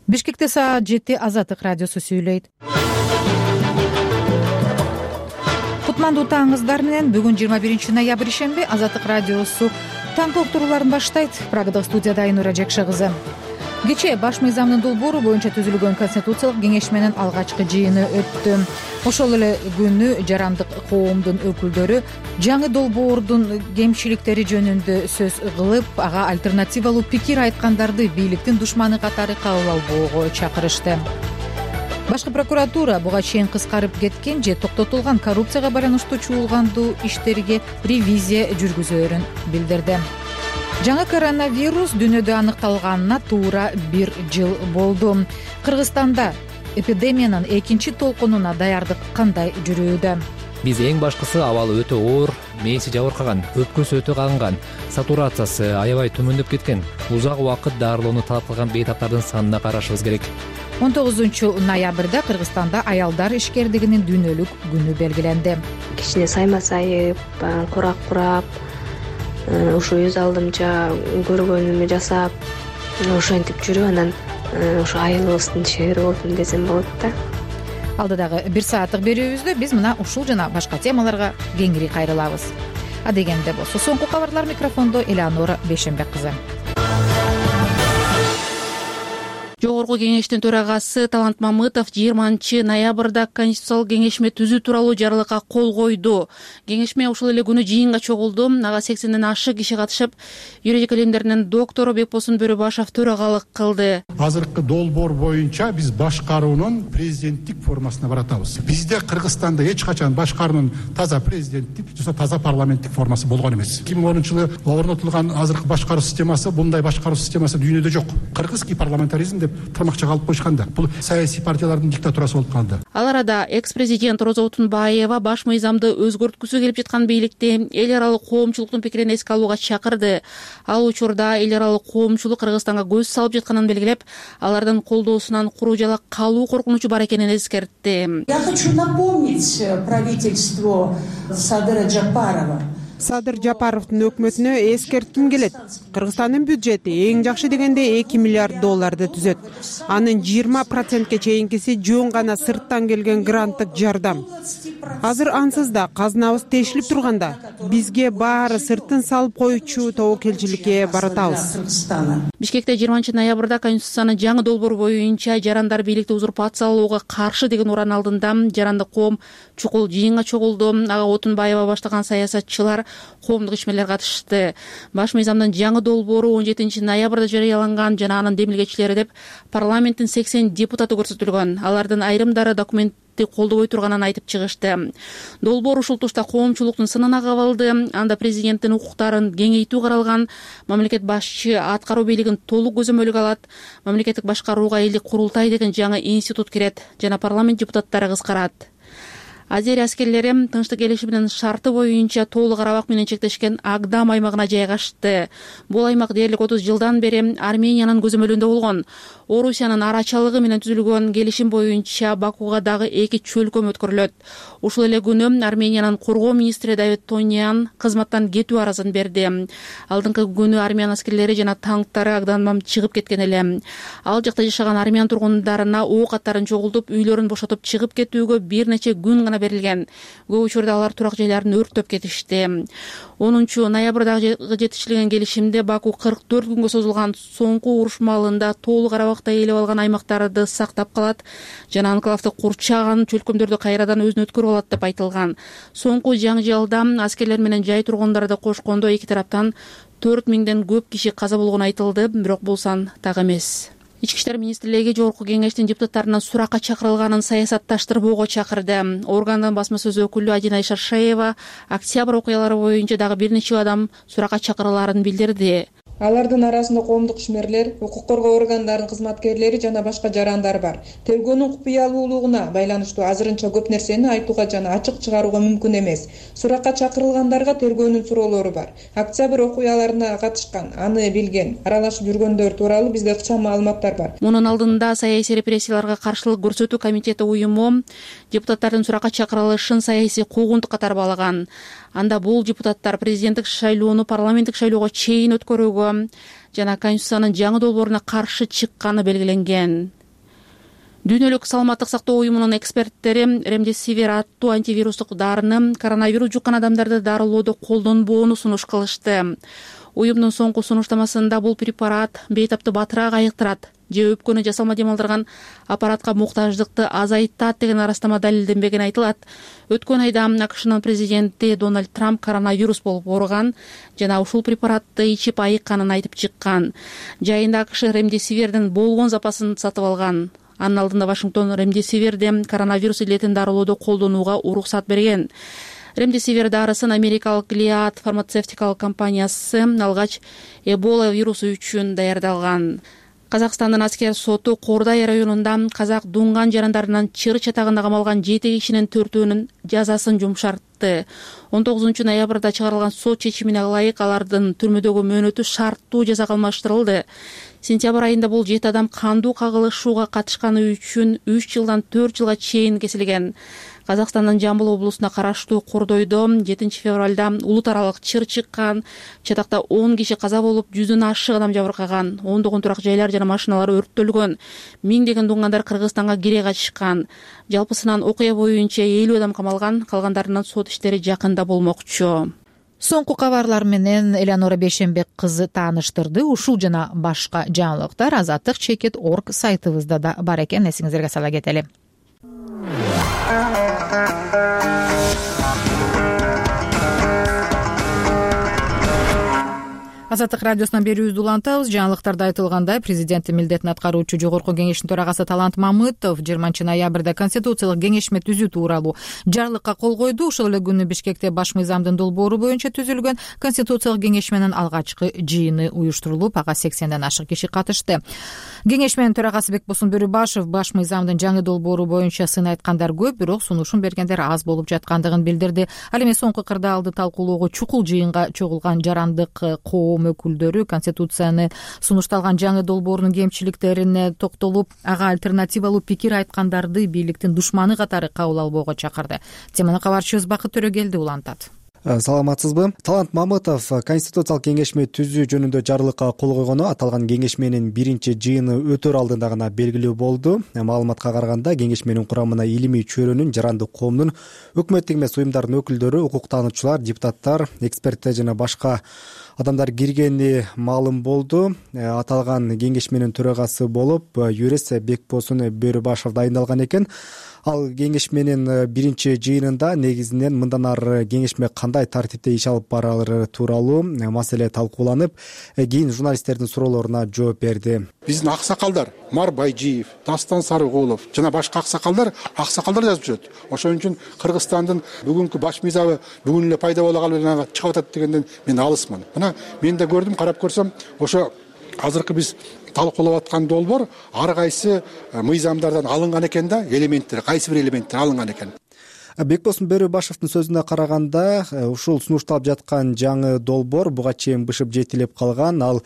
Бишкекте саат 7 Азаттык радиосу сүйлөйт. Кутмандуу таңыңыздар менен бүгүн 21 ноябрь ишемби Азаттык радиосу таңкы уктурууларын баштайт. Прагадагы студияда Айнура Жекше кызы. Кечээ баш мыйзамдын долбоору боюнча түзүлгөн конституциялык кеңешменин алгачкы жыйыны өттү. Ошол эле күнү жарандык коомдун өкүлдөрү жаңы долбоордун кемчиликтери жөнүндө сөз кылып, ага альтернативалуу пикир айткандарды бийликтин душманы катары кабыл албоого чакырышты. Башкы прокуратура буга чейин кыскарып кеткен же токтотулган коррупцияга байланыштуу чуулгандуу иштерге ревизия жүргүзөөрүн билдирди. Жаңы коронавирус дүйнөдө аныкталганына туура 1 жыл болду. Кыргызстанда эпидемиянын экинчи толкунуна даярдык кандай жүрүүдө? Биз эң башкысы абалы өтө оор, мээси жабыркаган, өпкөсү өтө кагынган, сатурациясы аябай төмөндөп кеткен, узак убакыт дарылоону талап кылган бейтаптардын санына карашыбыз керек. 19 ноябрда Кыргызстанда аялдар ишкердигинин дүйнөлүк күнү белгиленди. Кичине сайма сайып, курап ушу өз алдымча көргөнүмү жасап, ошентип жүрүп, анан ошо айылыбыздын шери болотун десем болот да. Алдыдагы 1 сааттык берүүбүздө биз мына ушул жана башка темаларга кеңири кайрылабыз. Адегенде болсо соңку кабарлар микрофондо Элеонора Бейшенбек кызы. Жогорку кеңештин төрагасы Талант Мамытов 20 ноябрда Конституциялык кеңешме түзүү тууралуу жарлыкка кол койду. Кеңешме ушул эле күнү жыйынга чогулду. Ага 80ден ашык киши катышып, юридик илимдеринин доктору Бекбосун Бөрөбашев төрагалык кылды. Азыркы долбоор боюнча биз башкаруунун президенттик формасына баратабыз. Бизде Кыргызстанда эч качан башкаруунун таза президенттик же таза парламенттик формасы болгон эмес. 2010-жылы орнотулган азыркы башкаруу системасы, мындай башкаруу системасы дүйнөдө жок. Кыргызский парламентаризм деп тармакча калып койшканда, бул саясий партиялардын диктатурасы болуп калды. Ал арада экс-президент Роза Отунбаева баш мыйзамды өзгөрткүсү келип жаткан бийликти эл аралык коомчулуктун пикирин эске алууга чакырды. Ал учурда эл аралык коомчулук Кыргызстанга көз салып жатканын белгилеп, алардын колдоосунан куру жала калуу коркунучу бар экенин эскертти. Я хочу напомнить правительству Садыра Жапарова. Садыр Жапаровдун өкмөтүнө эскертким келет. Кыргызстандын бюджети эң жакшы дегенде $2 миллиард түзөт. Анын 20%ке чейинкиси жөн гана сырттан келген гранттык жардам. Азыр ансыз да казнабыз тешилип турганда, бизге баары сырттын салып коючу тобокелчиликке баратабыз. Бишкекте 20 ноябрда Конституциянын жаңы долбоор боюнча жарандар бийликти узурпациялоого каршы деген уран алдында жарандык коом чукул жыйынга чогулду. Ага Отунбаева баштаган саясатчылар, коомдук ишмерлер катышты. Баш мыйзамдын жаңы долбоору 17 ноябрда жарыяланган жана анын демилгечилери деп парламенттин 80 депутаты көрсөтүлгөн. Алардын айрымдары документти колдобой турганын айтып чыгышты. Долбоор ушул тушта коомчулуктун сынына кабылды. Анда президенттин укуктарын кеңейтүү каралган. Мамлекет башчы аткаруу бийлигин толук көзөмөлгө алат. Мамлекеттик башкарууга элдик курултай деген жаңы институт кирет жана парламент депутаттары кыскарат. Азерия аскерлери тынчтык келишиминин шарты боюнча Тоолу Карабак менен чектешкен Агдам аймагына жайгашты. Бул аймак дээрлик 30 жылдан бери Армениянын көзөмөлүндө болгон. Орусиянын арачалыгы менен түзүлгөн келишим боюнча Бакуга дагы 2 чөлкөм өткөрүлөт. Ушул эле күнү Армениянын коргоо министри Давид Тонян кызматтан кетүү аразын берди. Алдыңкы күнү армян аскерлери жана танктары Агдамдан чыгып кеткен эле. Ал жакта жашаган армян тургундарына ок аттарын чогултуп, үйлөрүн бошотуп чыгып кетүүгө бир нече күн гана берилген. Көп учурда алар турак жайларын өрттөп кетишти. 10 ноябрдагы жетишилген келишимде Баку 44 күнгө созулган соңку уруш маалында Тоолу Карабакта ээлеп алган аймактарды сактап калат жана анклавды курчаган чөлкөмдөрдү кайрадан өзүнө өткөрүп алат деп айтылган. Соңку жаңжалда аскерлер менен жай тургундарды кошкондо эки тараптан 4000ден көп киши каза болгону айтылды, бирок бул сан так эмес. Ички иштер министрлиги жогорку кеңештин депутаттарынан суракка чакырылганын саясатташтырбоого чакырды. Органдын басма сөз өкүлү Адина Шаршаева октябрь окуялары боюнча дагы бир нече адам суракка чакырылаарын билдирди. Алардын арасында коомдук ишмерлер, укук коргоо органдарынын кызматкерлери жана башка жарандар бар. Тергөөнүн купуялуулугуна байланыштуу азырынча көп нерсени айтууга жана ачык чыгарууга мүмкүн эмес. Суракка чакырылгандарга тергөөнүн суроолору бар. Октябрь окуяларына катышкан, аны билген, аралашып жүргөндөр тууралуу бизде ыкчам маалыматтар бар. Мунун алдында саясий репрессияларга каршылык көрсөтүү комитети уюму депутаттардын суракка чакырылышын саясий куугунтук катары баалаган. Анда бул депутаттар президенттик шайлоону парламенттик шайлоого чейин өткөрүүгө түзүүгө жана Конституциянын жаңы долбооруна каршы чыкканы белгиленген. Дүйнөлүк саламаттык сактоо уюмунун эксперттери ремдесивир аттуу антивирустук дарыны коронавирус жуккан адамдарды дарылоодо колдонбоону сунуш кылышты. Уюмдун соңку сунуштамасында бул препарат бейтапты батыраак айыктырат же өпкөнү жасалма дем алдырган аппаратка муктаждыкты азайтат деген арастама далилденбегени айтылат. Өткөн айда АКШнын президенти Дональд Трамп коронавирус болуп ооруган жана ушул препаратты ичип айыкканын айтып чыккан. Жайында АКШ ремдесивердин болгон запасын сатып алган. Анын алдында Вашингтон ремдесиверди коронавирус илетин дарылоодо колдонууга уруксат берген. Ремдесивер дарысын америкалык Gilead фармацевтикалык компаниясы алгач Эбола вирусу үчүн даярдалган. Казакстандын аскер соту Кордай районунда казак дунган жарандарынан чыр чатагында камалган 7 кишинин 4-өөнүн жазасын жумшартты. 19 ноябрда чыгарылган сот чечимине ылайык алардын түрмөдөгү мөөнөтү шарттуу жазага алмаштырылды. Сентябрь айында бул 7 адам кандуу кагылышууга катышканы үчүн 3 жылдан 4 жылга чейин кесилген. Казакстандын Жамбыл облусуна караштуу Кордойдо 7 февралда улут аралык чыр чыккан. Чатакта 10 киши каза болуп, 100дөн ашык адам жабыркаган. Ондогон турак жайлар жана машиналар өрттөлгөн. Миңдеген дуңгандар Кыргызстанга кире качышкан. Жалпысынан окуя боюнча 50 адам камалган, калгандарынын сот иштери жакында болмокчу. Соңку кабарлар менен Элеонора Бейшенбек кызы тааныштырды. Ушул жана башка жаңылыктар Азаттык.org сайтыбызда да бар экен. Эсиңиздерге сала кетели. Азаттык радиосунан берүүбүздү улантабыз. Жаңылыктарда айтылгандай, президенттин милдетин аткаруучу Жогорку кеңештин төрагасы Талант Мамытов 20 ноябрда конституциялык кеңешме түзүү тууралуу жарлыкка кол койду. Ошол эле күнү Бишкекте баш мыйзамдын долбоору боюнча түзүлгөн конституциялык кеңешменин алгачкы жыйыны уюштурулуп, ага 80ден ашык киши катышты. Кеңешменин төрагасы Бекбосун Бөрүбашев баш мыйзамдын жаңы долбоору боюнча сын айткандар көп, бирок сунушун бергендер аз болуп жаткандыгын билдирди. Ал эми соңку кырдаалды талкуулоого чукул жыйынга чогулган жарандык коом өкүлдөрү конституцияны сунушталган жаңы долбоорунун кемчиликтерине токтолуп, ага альтернативалуу пикир айткандарды бийликтин душманы катары кабыл албоого чакырды. Теманы кабарчыбыз Бакыт Төрөгелди улантат. Саламатсызбы? Талант Мамытов конституциялык кеңешме түзүү жөнүндө жарлыкка кол койгону аталган кеңешменин биринчи жыйыны өтөр алдында гана белгилүү болду. Маалыматка караганда, кеңешменин курамына илимий чөйрөнүн, жарандык коомдун, өкмөттүк эмес уюмдардын өкүлдөрү, укуктануучулар, депутаттар, эксперттер жана башка адамдар киргени маалым болду. Аталган кеңешменин төрагасы болуп юрист Бекбосун Бөрүбашев дайындалган экен. Ал кеңешменин биринчи жыйынында негизинен мындан ары кеңешме кандай тартипте иш алып барары тууралуу маселе талкууланып, кийин журналисттердин суроолоруна жооп берди. Биздин аксакалдар Мар Байжиев, Дастан Сарыгулов жана башка аксакалдар жазып жүрөт. Ошон үчүн Кыргызстандын бүгүнкү баш мыйзамы бүгүн эле пайда боло калып чыгып атат дегенден мен алысмын. Мына мен да көрдүм, карап көрсөм, ошо азыркы биз талкуулап аткан долбоор ар кайсы мыйзамдардан алынган экен да, элементтер, кайсы бир элементтер алынган экен. Бекбосун Бөрүбашевдин сөзүнө караганда, ушул сунушталып жаткан жаңы долбоор буга чейин бышып жетилип калган, ал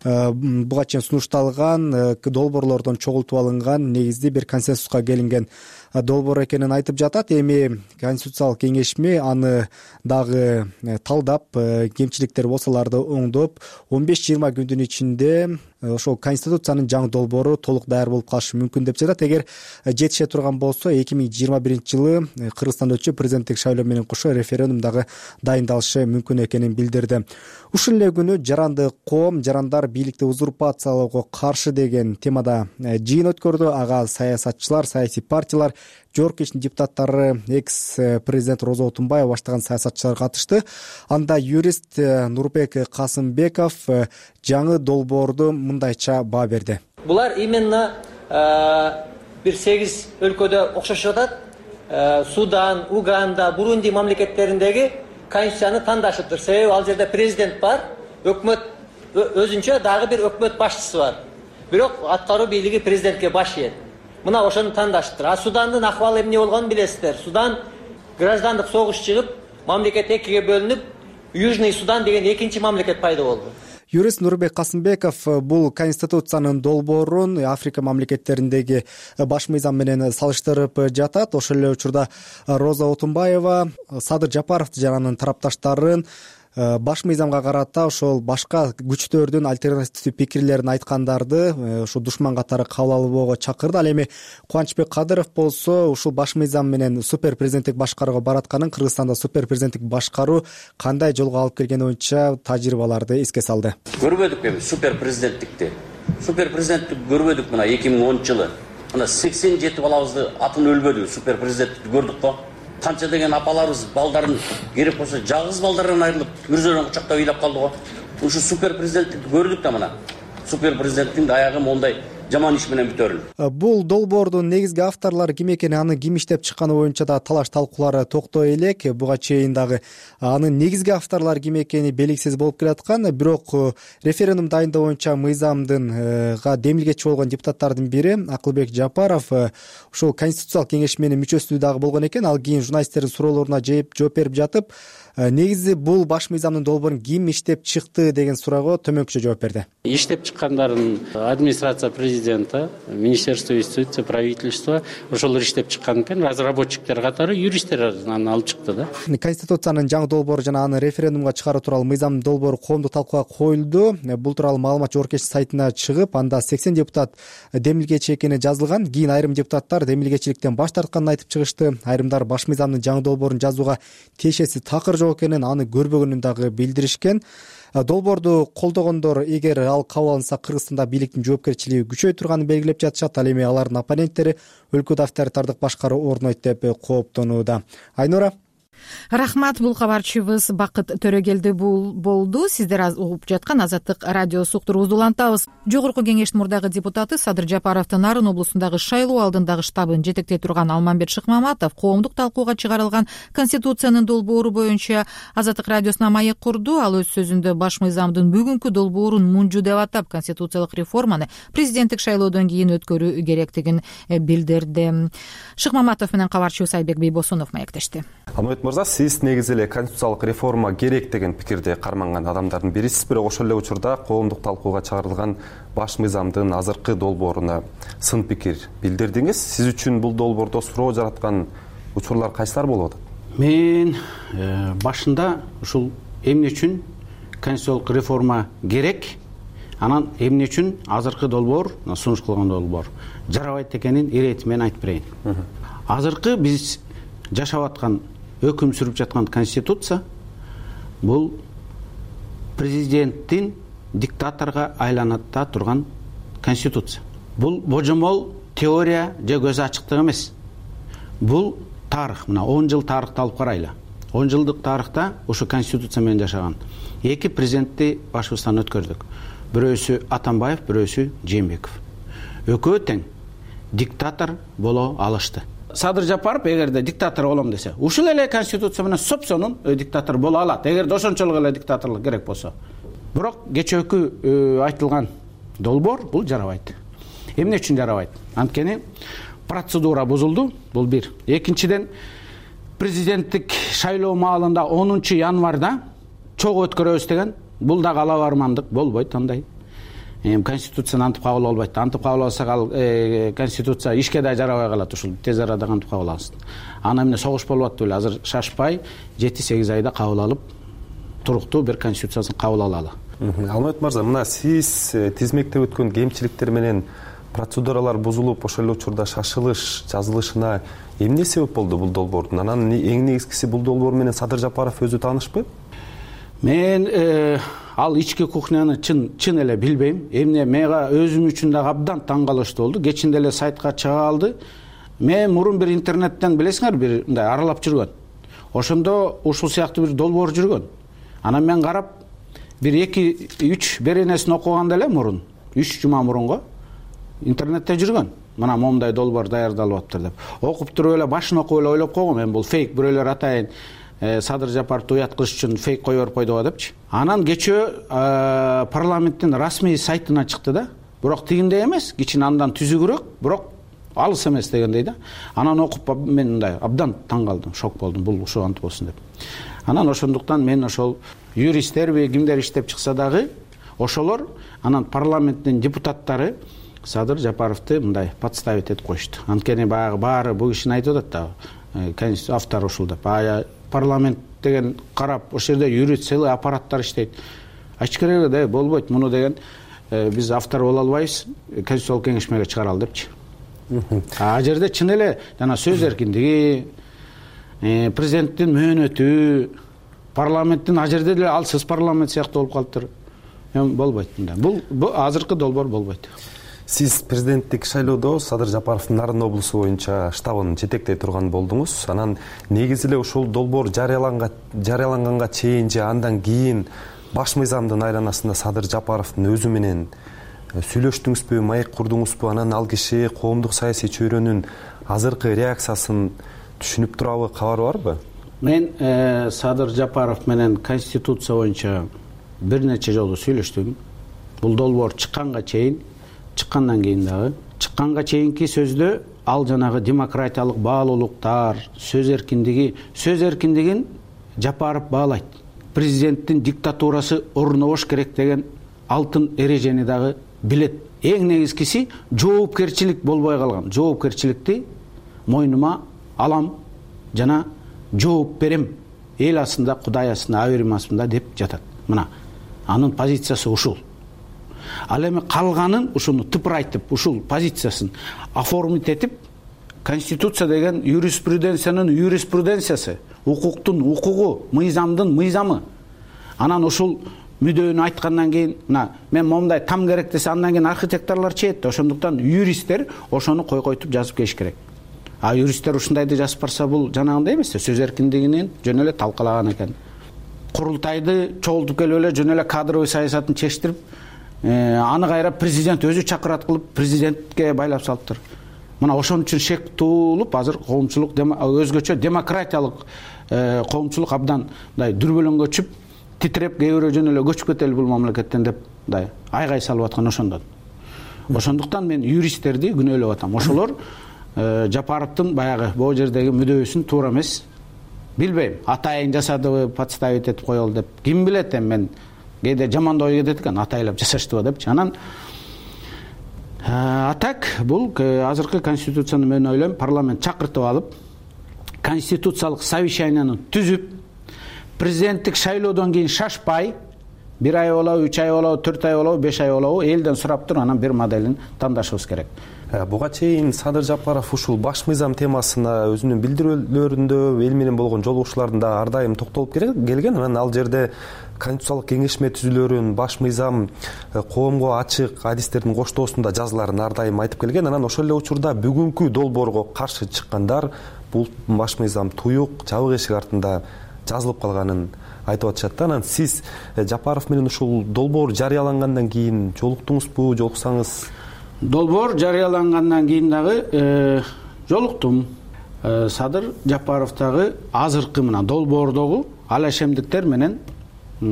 буга чейин сунушталган долбоорлордон чогултуп алынган негизди бир консенсуска келинген долбоор экенин айтып жатат. Эми конституциялык кеңешме аны дагы талдап, кемчиликтер болсо аларды оңдоп, 15-20 күндүн ичинде ошол конституциянын жаңы долбоору толук даяр болуп калышы мүмкүн деп жатат. Эгер жетише турган болсо 2021-жылы Кыргызстанда өтчү президенттик шайлоо менен кошо референдум дагы дайындалышы мүмкүн экенин билдирди. Ушул эле күнү жарандык коом, жарандар бийликти узурпациялоого каршы деген темада жыйын өткөрдү. Ага саясатчылар, саясий партиялар, Жогорку кеңештин депутаттары, экс-президент Роза Отунбаева баштаган саясатчылар катышты. Анда юрист Нурбек Касымбеков жаңы долбоорду мындайча баа берди. Булар именно бир 8 өлкөдө окшошуп жатат. Судан, Уганда, Бурунди мамлекеттериндеги конституцияны тандашыптыр. Себеби ал жерде президент бар, өкмөт өзүнчө дагы бир өкмөт башчысы бар. Бирок аткаруу бийлиги президентке баш ийет. Мына ошону тандашыптыр. Судандын акыбалы эмне болгонун билесиздер. Судан граждандык согуш чыгып, мамлекет экиге бөлүнүп, Южный Судан деген экинчи мамлекет пайда болду. Юрист Нурбек Касымбеков бул конституциянын долбоорун Африка мамлекеттериндеги баш мыйзам менен салыштырып жатат. Ошол эле учурда Роза Отунбаева Садыр Жапаров жана анын тарапташтарын баш мыйзамга карата ошол башка күчтөрдүн альтернативдүү пикирлерин айткандарды ушул душман катары кабыл албоого чакырды. Ал эми Кубанычбек Кадыров болсо ушул баш мыйзам менен супер президенттик башкарууга баратканын, Кыргызстанда супер президенттик башкаруу кандай жолго алып келгени боюнча тажрыйбаларды эске салды. Көрбөдүк эми супер президенттикти. Супер президенттик көрбөдүк мына 2010 жылы. Мына 87 балабызды атын өлбөдү, супер президенттикти көрдүк го. Канча деген апаларыбыз балдарын керек болсо жалгыз балдарынан айрылып, мүрзөнөн кучактап ыйлап калды го. Ушу супер президенттикти көрдүк да мына. Супер президенттиктин аягы мондай жаман иш менен бүтөрүлдү. Бул долбоордун негизги авторлору ким экени, аны ким иштеп чыкканы боюнча да талаш талкуулары токтой элек. Буга чейин дагы анын негизги авторлору ким экени белгисиз болуп келаткан. Бирок референдум дайындоо боюнча мыйзамдынга демилгечи болгон депутаттардын бири Акылбек Жапаров ушул Конституциялык кеңеш менен мүчөсү дагы болгон экен. Ал кийин журналисттердин суроолоруна жооп берип жатып, негизи бул баш мыйзамдын долбоорун ким иштеп чыкты деген суроого төмөнкүчө жооп берди. Иштеп чыккандарын администрация президента, министерство юстиции, правительство ошолор иштеп чыккан экен. Разработчиктер катары юристтер аны алып чыкты да. Конституциянын жаңы долбоору жана аны референдумга чыгаруу тууралуу мыйзамдын долбоору коомдук талкууга коюлду. Бул тууралуу маалымат Жогорку Кеңеш сайтына чыгып, анда 80 депутат демилгечи экени жазылган. Кийин айрым депутаттар демилгечиликтен баш тартканын айтып чыгышты. Айрымдар баш мыйзамдын жаңы долбоорун жазууга тиешеси такыр жок экенин, аны көрбөгөнүн дагы билдиришкен. Долбоорду колдогондор эгер ал кабыл алынса Кыргызстанда бийликтин жоопкерчилиги күчөй турганын белгилеп жатышат. Ал эми алардын оппоненттери өлкөдө авторитардык башкаруу орнойт деп кооптонууда. Айнура. Рахмат, бул кабарчыбыз Бакыт Төрөгелди болду. Сиздер угуп жаткан Азаттык радиосу уктуруубузду улантабыз. Жогорку Кеңештин мурдагы депутаты Садыр Жапаровдун Нарын облусундагы шайлоо алдындагы штабын жетектей турган Алмамбет Шыкмаматов коомдук талкууга чыгарылган Конституциянын долбоору боюнча Азаттык радиосуна маек курду. Ал өз сөзүндө баш мыйзамдын бүгүнкү долбоорун мунжу деп атап, конституциялык реформаны президенттик шайлоодон кийин өткөрүү керектигин билдирди. Шыкмаматов менен кабарчыбыз Айбек Бейбосунов маектешти. Сиз негизи эле конституциялык реформа керек деген пикирде карманган адамдардын бирисиз, бирок ошол эле учурда коомдук талкууга чыгарылган баш мыйзамдын азыркы долбооруна сын пикир билдирдиңиз. Сиз үчүн бул долбоордо суроо жараткан учурлар кайсылар болуп атат? Мен башында ушул эмне үчүн конституциялык реформа керек, анан эмне үчүн азыркы долбоор, сунуш кылган долбоор жарабайт экенин иретим менен айтып берейин. Азыркы биз жашап аткан, өкүм сүрүп жаткан конституция бул президенттин диктаторго айланатта турган конституция. Бул божомол теория же көз ачыктык эмес. Бул тарых. Мына 10 жыл тарыхты алып карайлы. 10 жылдык тарыхта ушу конституция менен жашаган эки президентти башыбыздан өткөрдүк. Бирөөсү Атамбаев, бирөөсү Жээнбеков. Экөө тең диктатор боло алышты. Садыр Жапаров эгерде диктатор болом десе, ушул эле конституция менен сопсонун диктатор боло алат, эгерде ошончолук эле диктаторлук керек болсо. Бирок кечээкү айтылган долбоор бул жарабайт. Эмне үчүн жарабайт? Анткени процедура бузулду, бул бир. Экинчиден, президенттик шайлоо маалында 10 январда чогуу өткөрөбүз деген, бул да кала бармандык болбойт андай. Конституцияны антип кабыл албайт. Антип кабыл алсак ал конституция ишке да жарабай калат, ушул тез арада кантип кабыл алсын. Ана эмне согуш болуп атты беле, азыр шашпай 7-8 айда кабыл алып туруктуу бир конституциясын кабыл алалы. Алмамбет мырза, мына сиз тизмектеп өткөн кемчиликтер менен процедуралар бузулуп, ошол эле учурда шашылыш жазылышына эмне себеп болду бул долбоордун? Анан эң негизгиси бул долбоор менен Садыр Жапаров өзү таанышпы? Мен ал ички кухняны чын эле билбейм. Эмне мага өзүм үчүн да абдан таң калыштуу болду. Кечинде эле сайтка чыга алды. Мен мурун бир интернеттен билесиңер, бир мындай аралап жүргөн. Ошондо ушул сыяктуу бир долбоор жүргөн. Анан мен карап, бир 2-3 беренесин окуганда эле мурун, 3 жума мурунго интернетте жүргөн. Мына момундай долбоор даярдалып аптыр деп. Окуп туруп эле башын окуп эле ойлоп койгом, мен бул фейк, бирөөлөр атайын Садыр Жапаровду уят кылыш үчүн фейк коюп берип койду депчи. Анан кечөө парламенттин расмий сайтына чыкты да. Бирок тигиндей эмес, кичине андан түзүгүрөөк, бирок алыс эмес дегендей да. Анан окуп мен мындай абдан таң калдым, шок болдум, бул ушул антип болсун деп. Анан ошондуктан мен ошол юристтерби кимдер иштеп чыкса дагы ошолор анан парламенттин депутаттары Садыр Жапаровду мындай подставить этип коюшту. Анткени баягы баары бул кишини айтып атат да, автор ушул деп. парламент деген карап, ошол жерде юрист, целый аппараттар иштейт. Айтыш керек эле, болбойт муну деген биз автор боло албайбыз, конституциялык кеңеш менен чыгаралы депчи. А жерде чын эле жана сөз эркиндиги, президенттин мөөнөтү, парламенттин а жерде деле алсыз парламент сыяктуу болуп калыптыр. Болбойт мындай. Бул азыркы долбоор болбойт. Сиз президенттик шайлоодо Садыр Жапаровдун Нарын облусу боюнча штабын жетектей турган болдуңуз. Анан негизи эле ушул долбоор жарыяланганга чейин же андан кийин баш мыйзамдын айланасында Садыр Жапаровдун өзү менен сүйлөштүңүзбү, маек курдуңузбу? Анан ал киши коомдук саясий чөйрөнүн азыркы реакциясын түшүнүп турабы, кабары барбы? Мен Садыр Жапаров менен конституция боюнча бир нече жолу сүйлөштүм. Бул долбоор чыкканга чейин, чыккандан кийин дагы. Чыкканга чейинки сөздө ал жанагы демократиялык баалуулуктар, сөз эркиндигин Жапаров баалайт. Президенттин диктатурасы орнобош керек деген алтын эрежени дагы билет. Эң негизгиси жоопкерчилик болбой калган. Жоопкерчиликти мойнума алам жана жооп берем. Эл астында, Кудай астында, аберим астында деп жатат. Мына анын позициясы ушул. Ал эми калганын ушуну тыпырайтып, ушул позициясын оформить этип, конституция деген юриспруденциясы, укуктун укугу, мыйзамдын мыйзамы. Анан ушул мүдөөнү айткандан кийин, мен момундай там керек десе, андан кийин архитекторлор чейет. Ошондуктан юристтер ошону койгойтуп жазып келиш керек. А юристтер ушундайды жазып барса, бул жанагындай эмес, сөз эркиндигинин жөн эле талкалаган экен. Курултайды чогултуп келип эле жөн эле кадровый саясатын чечтирип, аны кайра президент өзү чакырат кылып, президентке байлап салыптыр. Мына ошон үчүн шек туулуп, азыр коомчулук өзгөчө демократиялык коомчулук абдан мындай дүрбөлөңгө түшүп, титиреп, кээ бирөө жөн эле көчүп кетели бул мамлекеттен деп мындай айгай салып аткан ошондон. Ошондуктан мен юристтерди күнөөлөп атам. Ошолор Жапаровдун баягы бул жердеги мүдөөсүн туура эмес, билбейм, атайын жасадыбы, подставить этип коелу деп. Ким билет, мен кээде жаман ой кетет экен, атайлап жасаштыбы депчи. Анан так бул азыркы конституцияны мен ойлойм, парламент чакыртып алып, конституциялык совещанияны түзүп, президенттик шайлоодон кийин шашпай, 1 ай болобу, 3 ай болобу, 4 ай болобу, 5 ай болобу, элден сурап туруп, анан бир моделин тандашыбыз керек. Буга чейин Садыр Жапаров ушул баш мыйзам темасына өзүнүн билдирүүлөрүндө, эл менен болгон жолугушууларында ар дайым токтолуп келген. Анан ал жерде конституциялык кеңешме түзүлөрүн, баш мыйзам коомго ачык адистердин коштоосунда жазыларын ар дайым айтып келген. Анан ошол эле учурда бүгүнкү долбоорго каршы чыккандар бул баш мыйзам туюк, жабык эшик артында жазылып калганын айтып атышат да. Анан сиз Жапаров менен ушул долбоор жарыялангандан кийин жолуктуңузбу, жолуксаңыз? Долбоор жарыялангандан кийин дагы жолуктум. Садыр Жапаровдагы азыркы мына долбоордогу алашемдиктер менен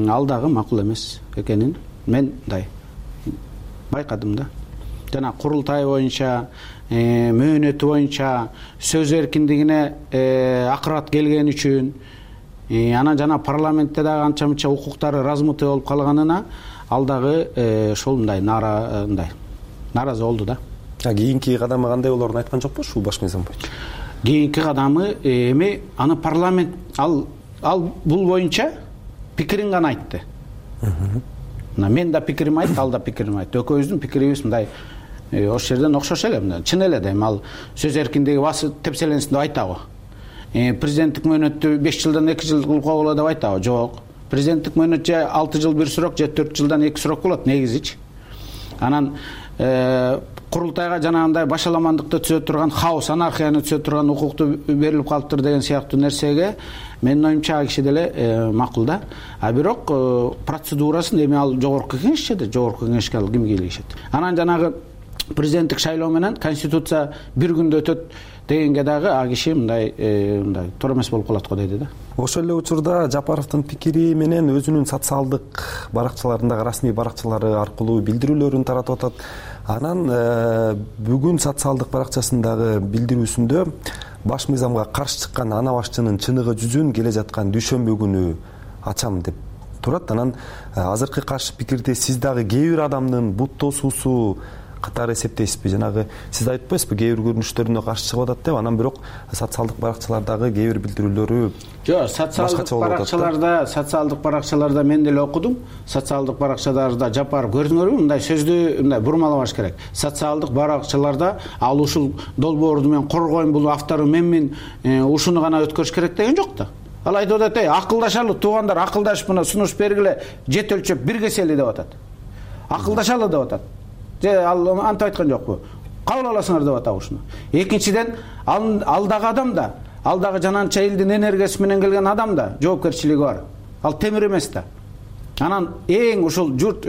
ал дагы макул эмес экенин мен байкадым да. Жана курултай боюнча, мөөнөтү боюнча сөз эркиндигине акырат келген үчүн, анан жана парламентте дагы анча мынча укуктары размытый болуп калганына ал дагы ошол наразы болду да. Кийинки кадамы кандай болоорун айткан жокпу ушул баш мыйзам боюнча? Кийинки кадамы эми аны парламент ал бул боюнча пикирин гана айтты. Мен да пикирим айтты, ал да пикирин айтты. Экөөбүздүн пикирибиз мындай ошол жерден окшош эле. Чын эле дейм, ал сөз эркиндиги басы тепселенсин деп айтабы? Президенттик мөөнөттү 5 жылдан 2 жыл кылууга болот деп айтабы? Жок. Президенттик мөөнөт же 6 жыл 1 срок, же 4 жылдан 2 срок болот негизичи. Анан курултайга жанагындай башаламандыкты түзө турган, хаос, анархияны түзө турган укукту берилип калыптыр деген сыяктуу нерсеге менин оюмча ал киши деле макул да. А бирок процедурасын эми ал жогорку кеңешчеде, жогорку кеңешке ал ким кийлигишет. Анан жанагы президенттик шайлоо менен конституция бир күндө өтөт дегенге дагы а киши мындай туура эмес болуп калат го дейди да. Ошол эле учурда Жапаровдун пикири менен өзүнүн социалдык баракчаларындагы расмий баракчалары аркылуу билдирүүлөрүн таратып атат. Анан бүгүн социалдык баракчасындагы билдирүүсүндө баш мыйзамга каршы чыккан ана башчынын чыныгы жүзүн келе жаткан дүйшөмбү күнү ачам деп турат. Анан азыркы каршы пикирде сиз дагы кээ бир адамдын бут тосуусу катары эсептейсизби? Жанагы сиз айтып атпайсызбы, кээ бир көрүнүштөрүнө каршы чыгып атат деп, анан бирок социалдык баракчалардагы кээ бир билдирүүлөрү жок, социалдык баракчаларда мен деле окудум. Социалдык баракчаларда Жапаров көрдүңөрбү? Мындай сөздү мындай бурмалабаш керек. Социалдык баракчаларда ал ушул долбоорду мен коргойм, бул автору менмин, ушуну гана өткөрүш керек деген жок да. Ал айтып атат, акылдашалы туугандар, акылдашып мына сунуш бергиле, жет өлчөп бир кесели деп атат. Акылдашалы деп атат. Же ал антип айткан жокпу? Кабыл аласыңар деп атат ушуну. Экинчиден, алдагы адам да, алдагы жананча элдин энергиясы менен келген адам да жоопкерчилиги бар. Ал темир эмес да. Анан эң ушул журт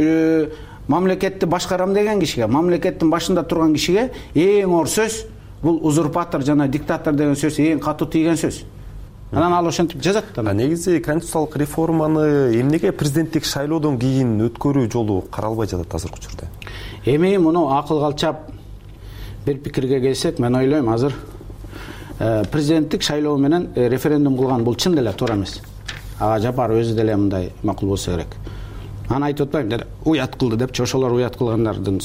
мамлекетти башкарам деген кишиге, мамлекеттин башында турган кишиге эң оор сөз бул узурпатор жана диктатор деген сөз эң катуу тийген сөз. Анан ал ошентип жазат да. Негизи конституциялык реформаны эмнеге президенттик шайлоодон кийин өткөрүү жолу каралбай жатат азыркы учурда? Эми муну акыл калчап бир пикирге келсек, мен ойлойм азыр президенттик шайлоо менен референдум кылган бул чын деле туура эмес. Ага Жапаров өзү деле мындай макул болсо керек. Аны айтып атпайм, деди уят кылды депчи, ошолор уят кылгандардын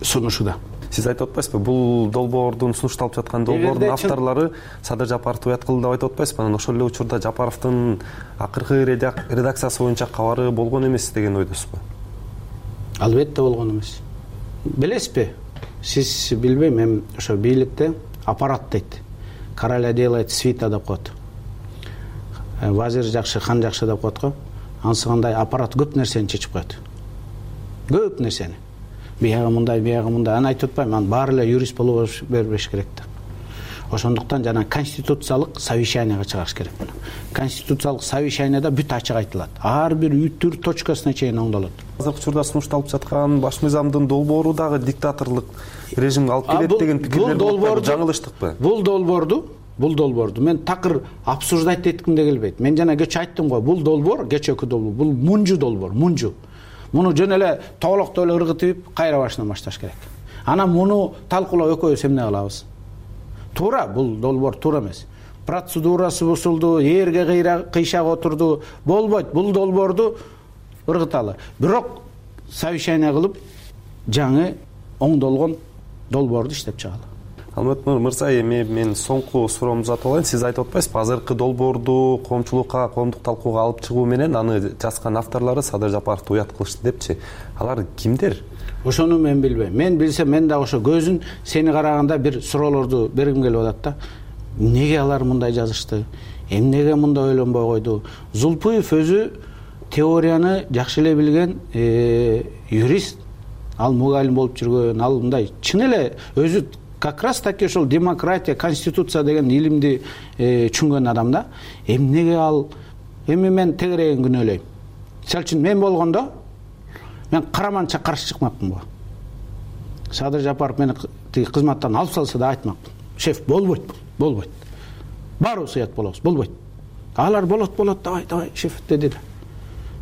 сунушу да. Сиз айтып атпайсызбы, бул долбоордун сунушталып жаткан долбоордун авторлору Садыр Жапаровду уят кылды деп айтып атпайсызбы? Анан ошол эле учурда Жапаровдун акыркы редакциясы боюнча кабары болгон эмес деген ойдосузбу? Албетте болгон эмес. Билесизби? Сиз билбейм, мен ошо бийликте аппарат дейт. Короля делает свита деп коет. Вазир жакшы, хан жакшы деп коет го. Анысы кандай аппарат көп нерсени чечип коет. Көп нерсени. Биягы мындай, биягы мындай. Аны айтып атпайм, анын баары эле юрист болуп бербеш керек да. Ошондуктан жана конституциялык совещанияга чыгарыш керек муну. Конституциялык совещанияда бүт ачык айтылат. Ар бир үтүр точкасына чейин оңдолот. Азыркы учурда сунушталып жаткан баш мыйзамдын долбоору дагы диктаторлук режимге алып келет деген пикирлер бар. Жаңылыштыкпы? Бул долбоорду мен такыр обсуждать этким да келбейт. Мен жана кечээ айттым го, бул долбоор, кечээки долбоор, бул мунжу долбоор, мунжу. Муну жөн эле тоолоктоо эле ыргытып, кайра башынан башташ керек. Анан муну талкуулап экөөбүз эмне кылабыз? Туура, бул долбоор туура эмес. Процедурасы бузулду, эрге кыйшак отурду. Болбойт, бул долбоорду ыргыталы. Бирок совещание кылып, жаңы оңдолгон долбоорду иштеп чыгалы. Алмат мырза, эми мен соңку суроомду uzatып алайын. Сиз айтып атпайсызбы, азыркы долбоорду коомчулукка, коомдук талкууга алып чыгуу менен аны жазган авторлору Садыр Жапаровду уят кылышты депчи. Алар кимдер? Ошону мен билбейм. Мен билсем, мен да ошо көзүн сени караганда бир суроолорду бергим келип атат да. Эмнеге алар мындай жазышты? Эмнеге мындай ойлонбой койду? Зулпуев өзү теорияны жакшы эле билген юрист. Ал мугалим болуп жүргөн, ал мындай чын эле өзү как раз таки ошол демократия, конституция деген илимди түшүнгөн адам да. Эмнеге ал эми мен тегерегин күнөөлөйм. Мисалы үчүн мен болгондо мен караманча каршы чыкмакмын го. Садыр Жапаров мени тиги кызматтан алып салса да айтмакмын. Шеф, болбойт. Баарыбыз уят болобуз, болбойт. Алар болот, давай, шеф деди да.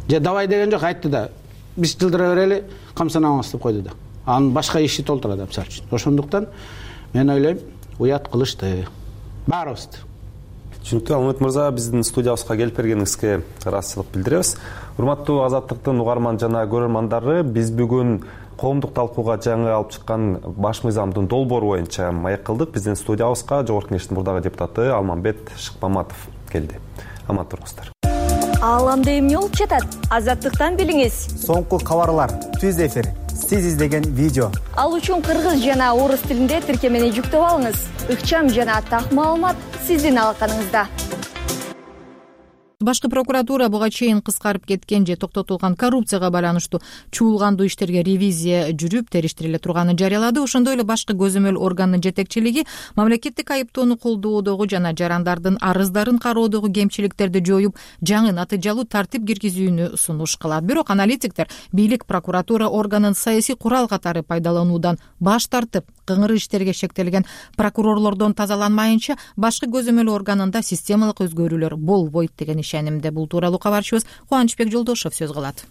Же давай деген жок, айтты да. Биз жылдыра берели, камсанабыз деп койду да. Анын башка иши толтура да, мисалы үчүн. Ошондуктан мен ойлойм, уят кылышты. Баарыбызды. Түшүнүктүү. Алмат мырза, биздин студиябызга келип бергениңизге ыраазычылык билдиребиз. Урматтуу Азаттыктын угарман жана көрөрмандары, биз бүгүн коомдук талкууга жаңы алып чыккан баш мыйзамдын долбоору боюнча маек кылдык. Биздин студиябызга Жогорку Кеңештин мурдагы депутаты Алмамбет Шыкмаматов келди. Аман туруңуздар. Ааламда эмне болуп жатат? Азаттыктан билиңиз. Соңку кабарлар, түз эфир, сиз издеген видео. Ал үчүн кыргыз жана орус тилинде тиркемени жүктөп алыңыз. Ыкчам жана так маалымат сиздин алаканыңызда. Башкы прокуратура буга чейин кыскарып кеткен же токтотулган коррупцияга байланыштуу чуулгандуу иштерге ревизия жүрүп, териштириле турганын жарыялады. Ошондой эле башкы көзөмөл органдын жетекчилиги мамлекеттик айыптоону колдоодогу жана жарандардын арыздарын кароодогу кемчиликтерди жоюп, жаңы натыйжалуу тартип киргизүүнү сунуш кылат. Бирок аналитиктер бийлик прокуратура органын саясий курал катары пайдалануудан баш тартып, кыңыр иштерге шектелген прокурорлордон тазаланмайынча башкы көзөмөл органында системалык өзгөрүүлөр болбойт деген ишенимде. Бул тууралуу кабарчыбыз Кубанычбек Жолдошов сөз кылат.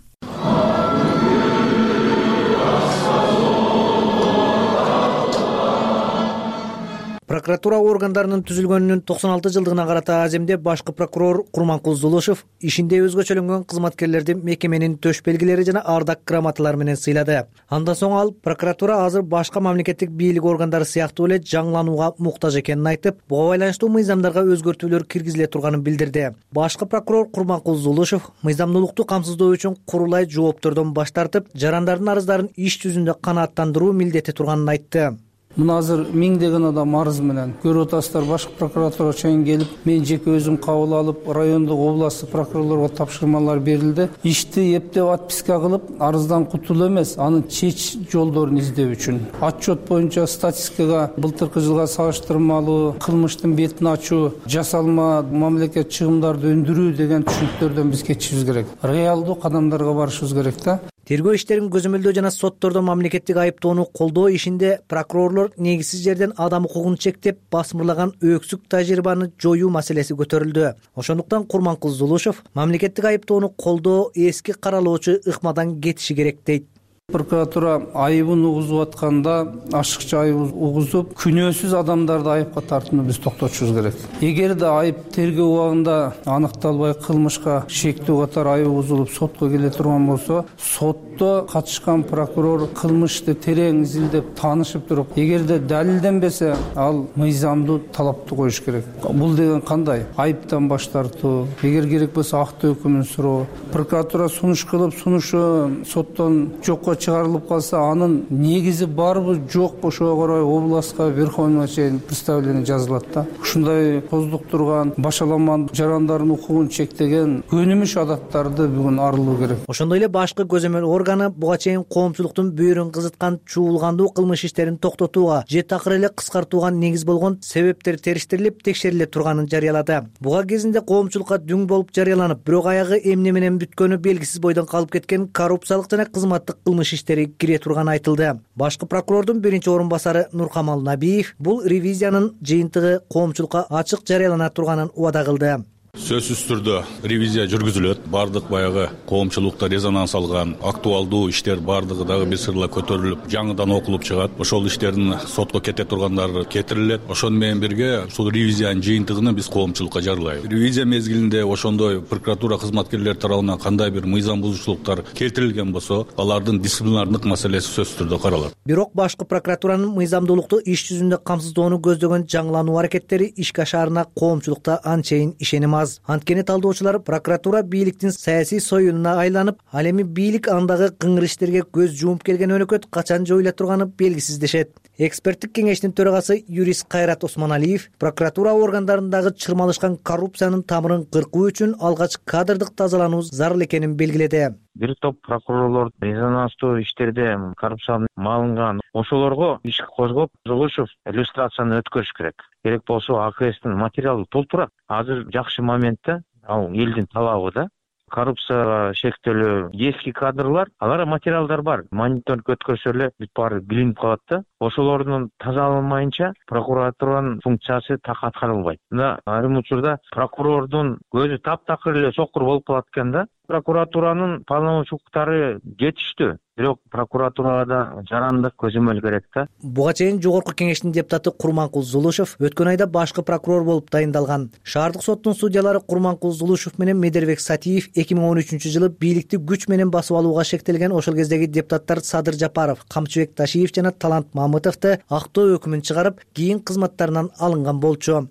Прокуратура органдарынын түзүлгөнүнүн 96 жылдыгына карата аземде башкы прокурор Курманкул Зулушев ишинде өзгөчөлөнгөн кызматкерлерди мекеменин төш белгилери жана ардак грамоталары менен сыйлады. Андан соң ал прокуратура азыр башка мамлекеттик бийлик органдары сыяктуу эле жаңыланууга муктаж экенин айтып, буга байланыштуу мыйзамдарга өзгөртүүлөр киргизиле турганын билдирди. Башкы прокурор Курманкул Зулушев мыйзамдуулукту камсыздоо үчүн курулай жооптордон баш тартып, жарандардын арыздарын иш жүзүндө канааттандыруу милдети турганын айтты. Мына азыр миңдеген адам арыз менен көрүп атасыздар, башкы прокуратура чейин келип, мен жеке өзүм кабыл алып, райондук областтык прокурорлорго тапшырмалар берилди. Ишти эптеп отписка кылып, арыздан кутулуу эмес, анын чечиш жолдорун издөө үчүн. Отчет боюнча статистикага былтыркы жылга салыштырмалуу кылмыштын бетин ачуу, жасалма мамлекет чыгымдарды өндүрүү деген түшүнүктөрдөн биз кетишибиз керек. Реалдуу кадамдарга барышыбыз керек да. Тергөө иштерин көзөмөлдөө жана соттордо мамлекеттик айыптоону колдоо ишинде прокурорлор негизсиз жерден адам укугун чектеп басмырлаган өксүк тажрыйбаны жоюу маселеси көтөрүлдү. Ошондуктан Курманкул Зулушев мамлекеттик айыптоону колдоо эски каралоочу ыкмадан кетиши керек дейт. Прокуратура айыбын угузуп атканда ашыкча айып угузуп, күнөөсүз адамдарды айыпка тартууну биз токтотушубуз керек. Эгерде айып тергөө убагында аныкталбай кылмышка шектүү катар айып угузулуп сотко келе турган болсо, сотто катышкан прокурор кылмышты терең изилдеп таанышып туруп, эгерде далилденбесе, ал мыйзамдуу талапты коюш керек. Бул деген кандай? Айыптан баш тартуу, эгер керек болсо акты өкүмүн суроо. Прокуратура сунуш кылып, сунушу соттон жокко чыгарылып калса, анын негизи барбы жокпу ошого карай областка, Верховный чейин представление жазылат да. Ушундай коздуктурган, башаламан жарандардын укугун чектеген көнүмүш адаттарды бүгүн арылуу керек. Ошондой эле башкы көзөмөл органы буга чейин коомчулуктун бүйүрүн кызыткан чуулгандуу кылмыш иштерин токтотууга же такыр эле кыскартууга негиз болгон себептер териштирилип, текшериле турганын жарыялады. Буга кезинде коомчулукка дүң болуп жарыяланып, бирок аягы эмне менен бүткөнү белгисиз бойдон калып кеткен коррупциялык жана кызматтык кылмыш иштери кире турганы айтылды. Башкы прокурордун биринчи орун басары Нуркамал Набиев бул ревизиянын жыйынтыгы коомчулукка ачык жарыялана турганын убада кылды. Сөзсүз түрдө ревизия жүргүзүлөт. Бардык баягы коомчулукта резонанс алган актуалдуу иштер бардыгы дагы бир сыйла көтөрүлүп, жаңыдан окулуп чыгат. Ошол иштердин сотко кете тургандары кетирилет. Ошону менен бирге ушул ревизиянын жыйынтыгын биз коомчулукка жарыйлайбыз. Ревизия мезгилинде ошондой прокуратура кызматкерлери тарабынан кандай бир мыйзам бузуучулуктар келтирилген болсо, алардын дисциплинардык маселеси сөзсүз түрдө каралат. Бирок башкы прокуратуранын мыйзамдуулукту иш жүзүндө камсыздоону көздөгөн жаңылануу аракеттери ишке ашаарына коомчулукта анчейин ишеним аз. Анткени талдоочулар прокуратура бийликтин саясий союнуна айланып, ал эми бийлик андагы кыңыр иштерге көз жумуп келген өнөкөт качан жоюла турганы белгисиз дешет. Эксперттик кеңештин төрагасы юрист Кайрат Осмоналиев прокуратура органдарындагы чырмалышкан коррупциянын тамырын кыркуу үчүн алгач кадрдык тазалануу зарыл экенин белгиледи. Бир топ прокурорлор резонанстуу иштерде коррупцияга малынган, ошолорго иш козгоп, Зулушев иллюстрацияны өткөрүш керек. Керек болсо АКСтин материалы толтурат. Азыр жакшы моментте, ал элдин талабы да. Коррупцияга шектелүү эски кадрлар, алар материалдар бар. Мониторинг өткөрсө эле бүт баары билинип калат да. Ошолордун тазаланмайынча прокуратуранын функциясы так аткарылбайт. Мына айрым учурда прокурордун көзү таптакыр эле сокур болуп калат экен да. Прокуратуранын полномочия жетиштүү. Бирок прокуратурага да жарандык көзөмөл керек да. Буга чейин жогорку кеңештин депутаты Курманкул Зулушев өткөн айда башкы прокурор болуп дайындалган. Шаардык соттун судьялары Курманкул Зулушев менен Медербек Сатиев 2013 жылы бийликти күч менен басып алууга шектелген ошол кездеги депутаттар Садыр Жапаров, Камчыбек Ташиев жана Талант Мамытовду актоо өкүмүн чыгарып, кийин кызматтарынан алынган болчу.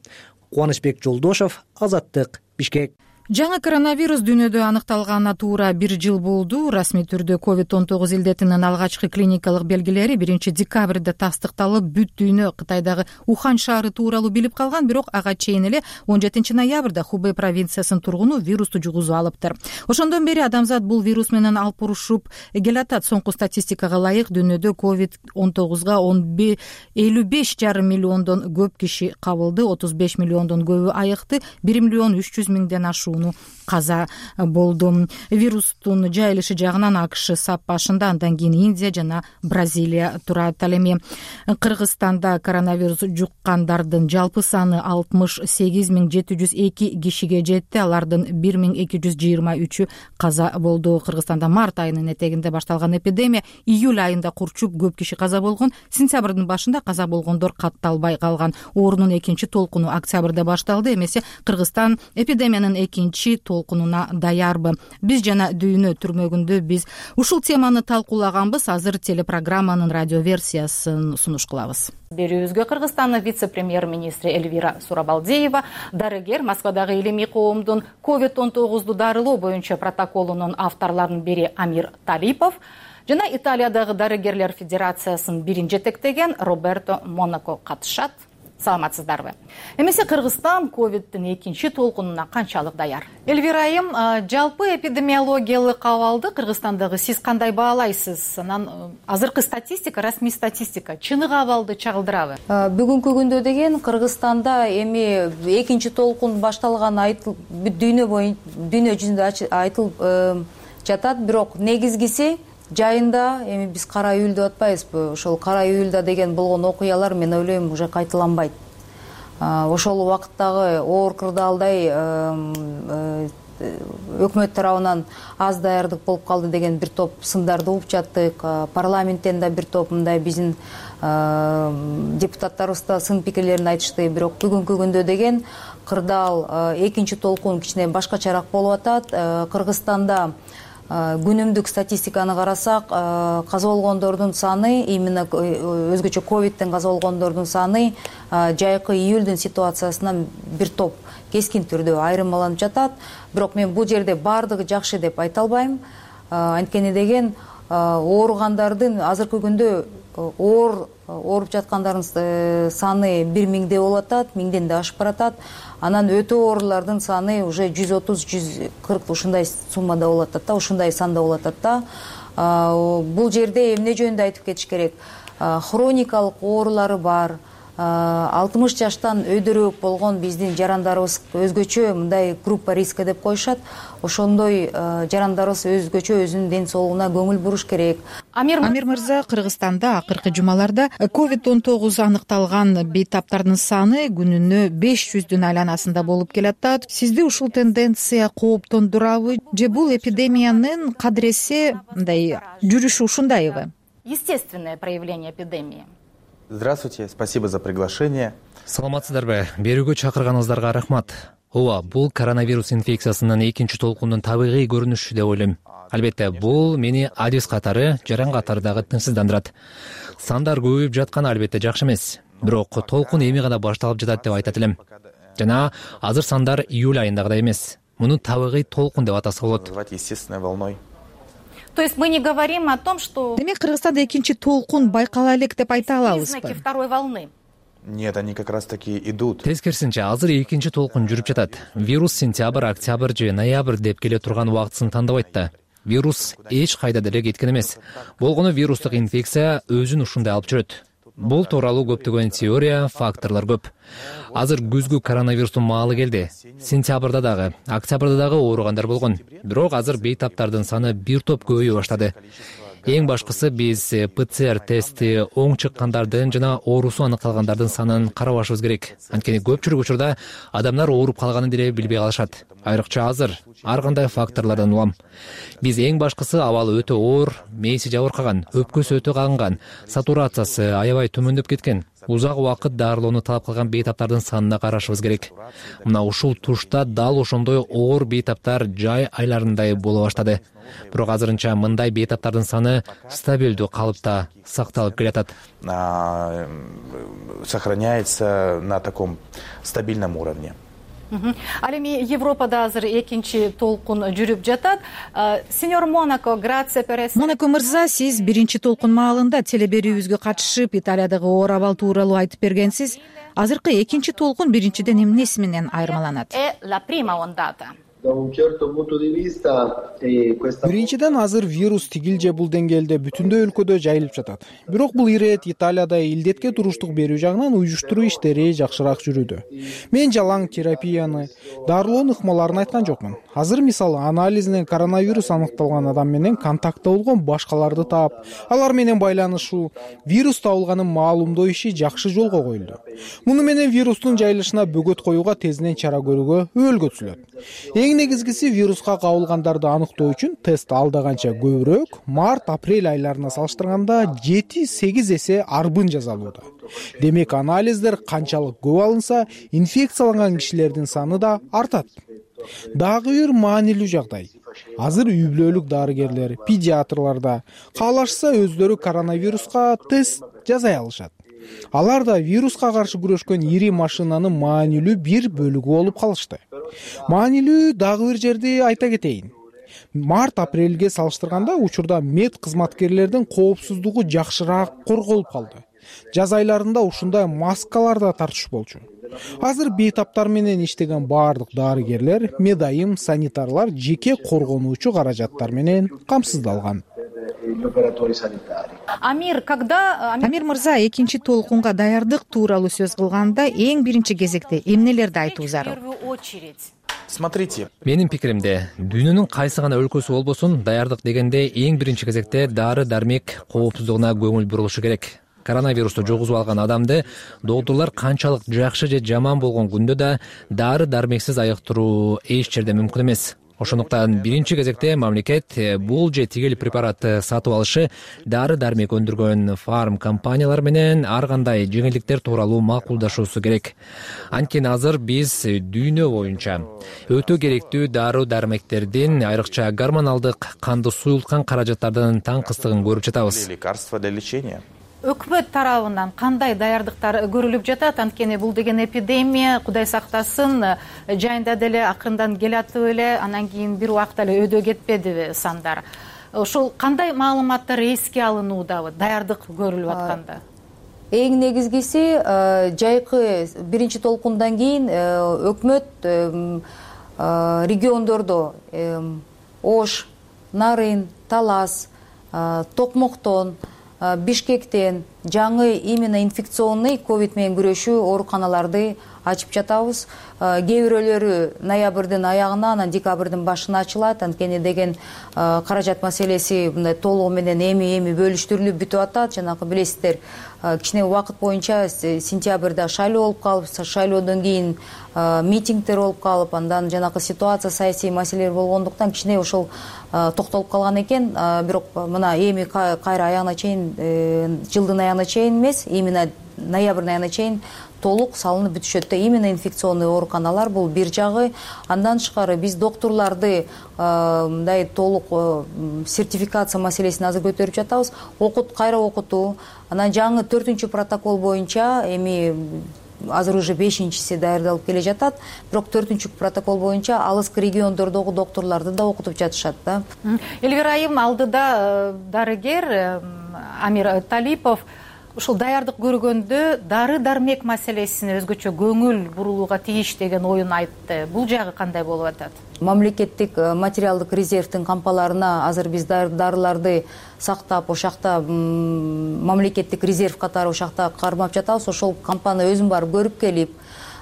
Кубанычбек Жолдошов, Азаттык, Бишкек. Жаңы коронавирус дүйнөдө аныкталганына туура 1 жыл болду. Расмий түрдө COVID-19 илдетинин алгачкы клиникалык белгилери 1 декабрда тастыкталып, бүт дүйнө Кытайдагы Ухан шаары тууралуу билип калган, бирок ага чейин эле 17 ноябрда Хубэй провинциясынын тургуну вирусту жугузуп алыптыр. Ошондон бери адамзат бул вирус менен алпурушуп келатат. Соңку статистикага ылайык дүйнөдө COVID-19га 55,5 миллиондон көп киши кабылды, 35 миллиондон көбү айыкты, 1 миллион 300 миңден ашууну толкуну каза болду. Вирустун жайылышы жагынан АКШ сап башында, андан кийин Индия жана Бразилия турат. Ал эми Кыргызстанда коронавирус жуккандардын жалпы саны 68.702 кишиге жетти. Алардын 1223 каза болду. Кыргызстанда март айынын этегинде башталган эпидемия июль айында курчуп көп киши каза болгон. Сентябрдын башында каза болгондор катталбай калган. Оорунун экинчи толкуну октябрда башталды. Эмесе Кыргызстан эпидемиянын экинчи толкунуна даярбы? Биз жана дүйнө түрмөгүндө биз ушул теманы талкуулаганбыз. Азыр телепрограмманын радио версиясын сунуш кылабыз. Берүүбүзгө Кыргызстандын вице-премьер-министри Эльвира Сурабалдиева, дарыгер, Москвадагы илимий коомдун COVID-19 дарылоо боюнча протоколунун авторлорунун бири Амир Талипов жана Италиядагы дарыгерлер федерациясынын бирин жетектеген Роберто Монако катышат. Саламатсыздарбы? Эмесе Кыргызстан ковидтин экинчи толкунуна канчалык даяр? Эльвира айым, жалпы эпидемиологиялык абалды Кыргызстандагы сиз кандай баалайсыз? Анан азыркы статистика, расмий статистика чыныгы абалды чагылдырабы? Бүгүнкү күндө деген Кыргызстанда эми экинчи толкун башталган дүйнө жүзүндө айтылып жатат, бирок негизгиси жайында эми биз кара июль деп атпайбызбы? Ошол кара июльда деген болгон окуялар мен ойлойм уже кайталанбайт. Ошол убакыттагы оор кырдаалдай өкмөт тарабынан аз даярдык болуп калды деген бир топ сындарды угуп жаттык. Парламенттен да бир топ мындай биздин депутаттарыбыз да сын пикирлерин айтышты. Бирок бүгүнкү күндө деген кырдаал экинчи толкун кичине башкачараак болуп атат. Кыргызстанда күнүмдүк статистиканы карасак, каза болгондордун саны, именно өзгөчө ковидтен каза болгондордун саны жайкы июльдүн ситуациясынан бир топ кескин түрдө айырмаланып жатат. Бирок мен бул жерде баардыгы жакшы деп айта албайм. Анткени деген ооругандардын азыркы күндө ооруп жаткандардын саны 1000 болуп атат, 1000ден да ашып баратат. Анан өтө оорулардын саны уже 130-140 ушундай суммада болуп атат да, ушундай санда болуп атат да. Бул жерде эмне жөнүндө айтып кетиш керек? Хроникалык оорулары бар, 60 жаштан өйдөрөөк болгон биздин жарандарыбыз өзгөчө мындай группа риска деп коюшат. Ошондой жарандарыбыз өзгөчө өзүнүн ден соолугуна көңүл буруш керек. Амир мырза, Кыргызстанда акыркы жумаларда COVID-19 аныкталган бейтаптардын саны күнүнө 500дүн айланасында болуп келатат. Сизди ушул тенденция кооптондурабы же бул эпидемиянын кадыресе мындай жүрүшү ушундайбы? Естественное проявление эпидемии. Здравствуйте, спасибо за приглашение. Саламатсыздарбы? Берүүгө чакырганыңыздарга рахмат. Ооба, бул коронавирус инфекциясынын экинчи толкунунун табигый көрүнүшү деп ойлойм. Албетте, бул мени адис катары, жаран катары дагы тынчсыздандырат. Сандар көбөйүп жатканы албетте жакшы эмес. Бирок толкун эми гана башталып жатат деп айтат элем. Жана азыр сандар июль айындагыдай эмес. Муну табигый толкун деп атаса болот. Естественной волной. То есть мы не говорим о том, что... Демек Кыргызстанда экинчи толкун байкала элек деп айта алабызбы? Признаки второй волны. Нет, они как раз таки идут. Тескерисинче, азыр экинчи толкун жүрүп жатат. Вирус сентябрь, октябрь же ноябрь деп келе турган убактысын тандабайт да. Вирус эч кайда деле кеткен эмес. Болгону вирустук инфекция өзүн ушундай алып жүрөт. Бул тууралуу көптөгөн теория, факторлор көп. Азыр күзгү коронавирустун маалы келди. Сентябрда дагы, октябрда дагы ооругандар болгон. Бирок азыр бейтаптардын саны бир топ көбөйө баштады. Эң башкысы биз ПЦР тести оң чыккандардын жана оорусу аныкталгандардын санын карабашыбыз керек. Анткени көпчүлүк учурда адамдар ооруп калганын деле билбей калышат. Айрыкча азыр ар кандай факторлордон улам. Биз эң башкысы абалы өтө оор, мээси жабыркаган, өпкөсү өтө кагынган, сатурациясы аябай төмөндөп кеткен, узак убакыт дарылоону талап кылган бейтаптардын санына карашыбыз керек. Мына ушул тушта дал ошондой оор бейтаптар жай айларындай боло баштады. Бирок азырынча мындай бейтаптардын саны стабилдүү калыпта сакталып келатат. Сохраняется на таком стабильном уровне. Ал эми Европада азыр экинчи толкун жүрүп жатат. Сеньор Монако, грация per essere... Монако мырза, сиз биринчи толкун маалында телеберүүбүзгө катышып, Италиядагы оор абал тууралуу айтып бергенсиз. Азыркы экинчи толкун биринчиден эмнеси менен айырмаланат? È la prima ondata. Биринчиден, азыр вирус тигил же бул деңгээлде бүтүндөй өлкөдө жайылып жатат. Бирок бул ирет Италияда илдетке туруштук берүү жагынан уюштуруу иштери жакшыраак жүрүүдө. Мен жалаң терапияны, дарылоонун ыкмаларын айткан жокмун. Азыр мисалы анализинен коронавирус аныкталган адам менен контактта болгон башкаларды таап, алар менен байланышуу, вирус табылганын маалымдоо иши жакшы жолго коюлду. Муну менен вирустун жайылышына бөгөт коюуга тезинен чара көрүүгө өлгөтүлөт. Эң негизгиси вируска кабылгандарды аныктоо үчүн тест алда канча көбүрөөк, март-апрель айларына салыштырганда 7-8 эсе арбын жасалууда. Демек анализдер канчалык көп алынса, инфекцияланган кишилердин саны да артат. Дагы бир маанилүү жагдай. Азыр үй-бүлөлүк дарыгерлер, педиатрларда каалашса өздөрү коронавируска тест жасай алышат. Алар да вируска каршы күрөшкөн ири машинанын маанилүү бир бөлүгү болуп калышты. Маанилүү дагы бир жерди айта кетейин. Март-апрелге салыштырганда учурда мед кызматкерлердин коопсуздугу жакшыраак корголуп калды. Жаз айларында ушундай маскалар да тартыш болчу. Азыр бейтаптар менен иштеген баардык дарыгерлер, медайым, санитарлар жеке коргонуучу каражаттар менен камсыздалган. Амир мырза, экинчи толкунга даярдык тууралуу сөз кылганда эң биринчи кезекте эмнелерди айтуу зарыл? Смотрите. Менин пикиримде, дүйнөнүн кайсы гана өлкөсү болбосун, даярдык дегенде эң биринчи кезекте дары-дармек коопсуздугуна көңүл бурулушу керек. Коронавирусту жугузуп алган адамды доктурлар канчалык жакшы же жаман болгон күндө да дары-дармексиз айыктыруу эч жерде мүмкүн эмес. Ошондуктан биринчи кезекте мамлекет бул же тигил препаратты сатып алышы, дары-дармек өндүргөн фарм компаниялар менен ар кандай жеңилдиктер тууралуу макулдашуусу керек. Анткени азыр биз дүйнө боюнча өтө керектүү дары-дармектердин, айрыкча гормоналдык канды суюлткан каражаттардын таңкыстыгын көрүп жатабыз. Лекарства для лечения. Өкмөт тарабынан кандай даярдыктар көрүлүп жатат? Анткени бул деген эпидемия, Кудай сактасын, жайында деле акырындан келатып эле, анан кийин бир убакта эле өйдө кетпедиби сандар? Ошол кандай маалыматтар эске алынуудабы даярдык көрүлүп атканда? Эң негизгиси жайкы биринчи толкундан кийин өкмөт региондордо Ош, Нарын, Талас, Токмоктон, Бишкектен жаңы именно инфекционный ковид менен күрөшүү ооруканаларды ачып жатабыз. Кээ бирөөлөрү ноябрдын аягына, анан декабрдын башына ачылат. Анткени деген каражат маселеси мындай толугу менен эми бөлүштүрүлүп бүтүп атат. Жанагы билесиздер, кичине убакыт боюнча сентябрда шайлоо болуп калып, шайлоодон кийин митингдер болуп калып, андан жанагы ситуация, саясий маселелер болгондуктан кичине ошол токтолуп калган экен. Бирок мына эми кайра аягына чейин, жылдын аягына чейин эмес, именно ноябрдын аягына чейин толук салынып бүтүшөт да. Именно инфекционный ооруканалар бул бир жагы. Андан тышкары биз доктурларды мындай толук сертификация маселесин азыр көтөрүп жатабыз. Кайра окутуу. Анан жаңы 4-чү протокол боюнча эми азыр уже 5-чиси даярдалып келе жатат. Бирок 4-чү протокол боюнча алыскы региондордогу доктурларды да окутуп жатышат да. Элвира айым, алдыда дарыгер Амир Талипов ушул даярдык көргөндө дары-дармек маселесине өзгөчө көңүл бурулууга тийиш деген оюн айтты. Бул жагы кандай болуп атат? Мамлекеттик материалдык резервдин кампаларына азыр биз дарыларды сактап, ошакта мамлекеттик резерв катары ошакта кармап жатабыз. Ошол кампаны өзүм барып көрүп келип,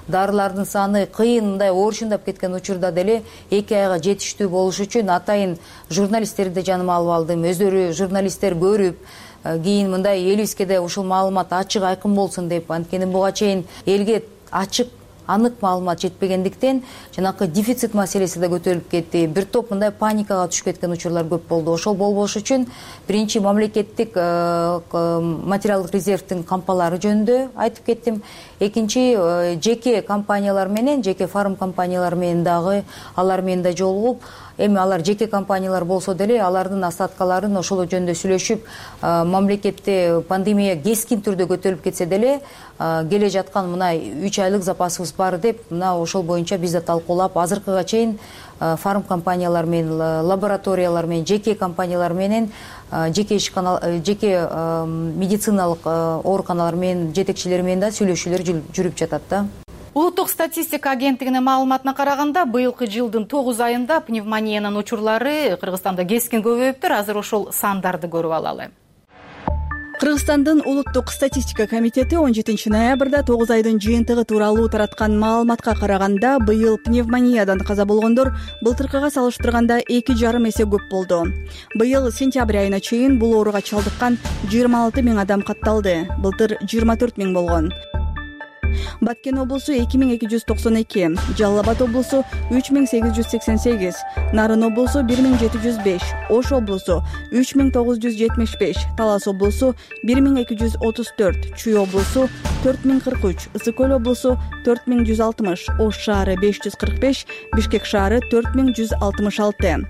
дарылардын саны кыйын мындай оорчундап кеткен учурда деле 2 айга жетиштүү болуш үчүн атайын журналисттерди жаныма алып алдым. Өздөрү журналисттер көрүп, кийин мындай элибизге да ушул маалымат ачык айкын болсун деп, анткени буга чейин элге ачык анык маалымат жетпегендиктен жанакы дефицит маселеси да көтөрүлүп кетти. Бир топ мындай паникага түшүп кеткен учурлар көп болду. Ошол болбош үчүн биринчи мамлекеттик материалдык резервдин кампалары жөнүндө айтып кеттим. Экинчи жеке компаниялар менен, жеке фарм компаниялар менен дагы алар менен да жолугуп, эми алар жеке компаниялар болсо деле алардын остаткаларын ошол жөнүндө сүйлөшүп, мамлекетте пандемия кескин түрдө көтөрүлүп кетсе деле келе жаткан мына 3 айлык запасыбыз бар деп, мына ошол боюнча биз да талкуулап, азыркыга чейин фарм компаниялар менен, лабораториялар менен, жеке компаниялар менен, жеке медициналык ооруканалар менен жетекчилери менен да сүйлөшүүлөр жүрүп жатат да. Улуттук статистика агенттигинин маалыматына караганда, быйылкы жылдын 9 айында пневмониянын учурлары Кыргызстанда кескин көбөйүптүр. Азыр ошол сандарды көрүп алалы. Кыргызстандын улуттук статистика комитети 17 ноябрда 9 айдын жыйынтыгы тууралуу тараткан маалыматка караганда, быйыл пневмониядан каза болгондор былтыркыга салыштырганда 2,5 эсе көп болду. Быйыл сентябрь айына чейин бул ооруга чалдыккан 26 миң адам катталды. Былтыр 24 миң болгон. Баткен облусу 2292, Жалал Абад облусу 3888, Нарын облусу 1705, Ош облусу 3975, Талас облусу 1234, Чүй облусу 4043, Ысык көл облусу 4160, Ош шаары 545, Бишкек шаары 4166.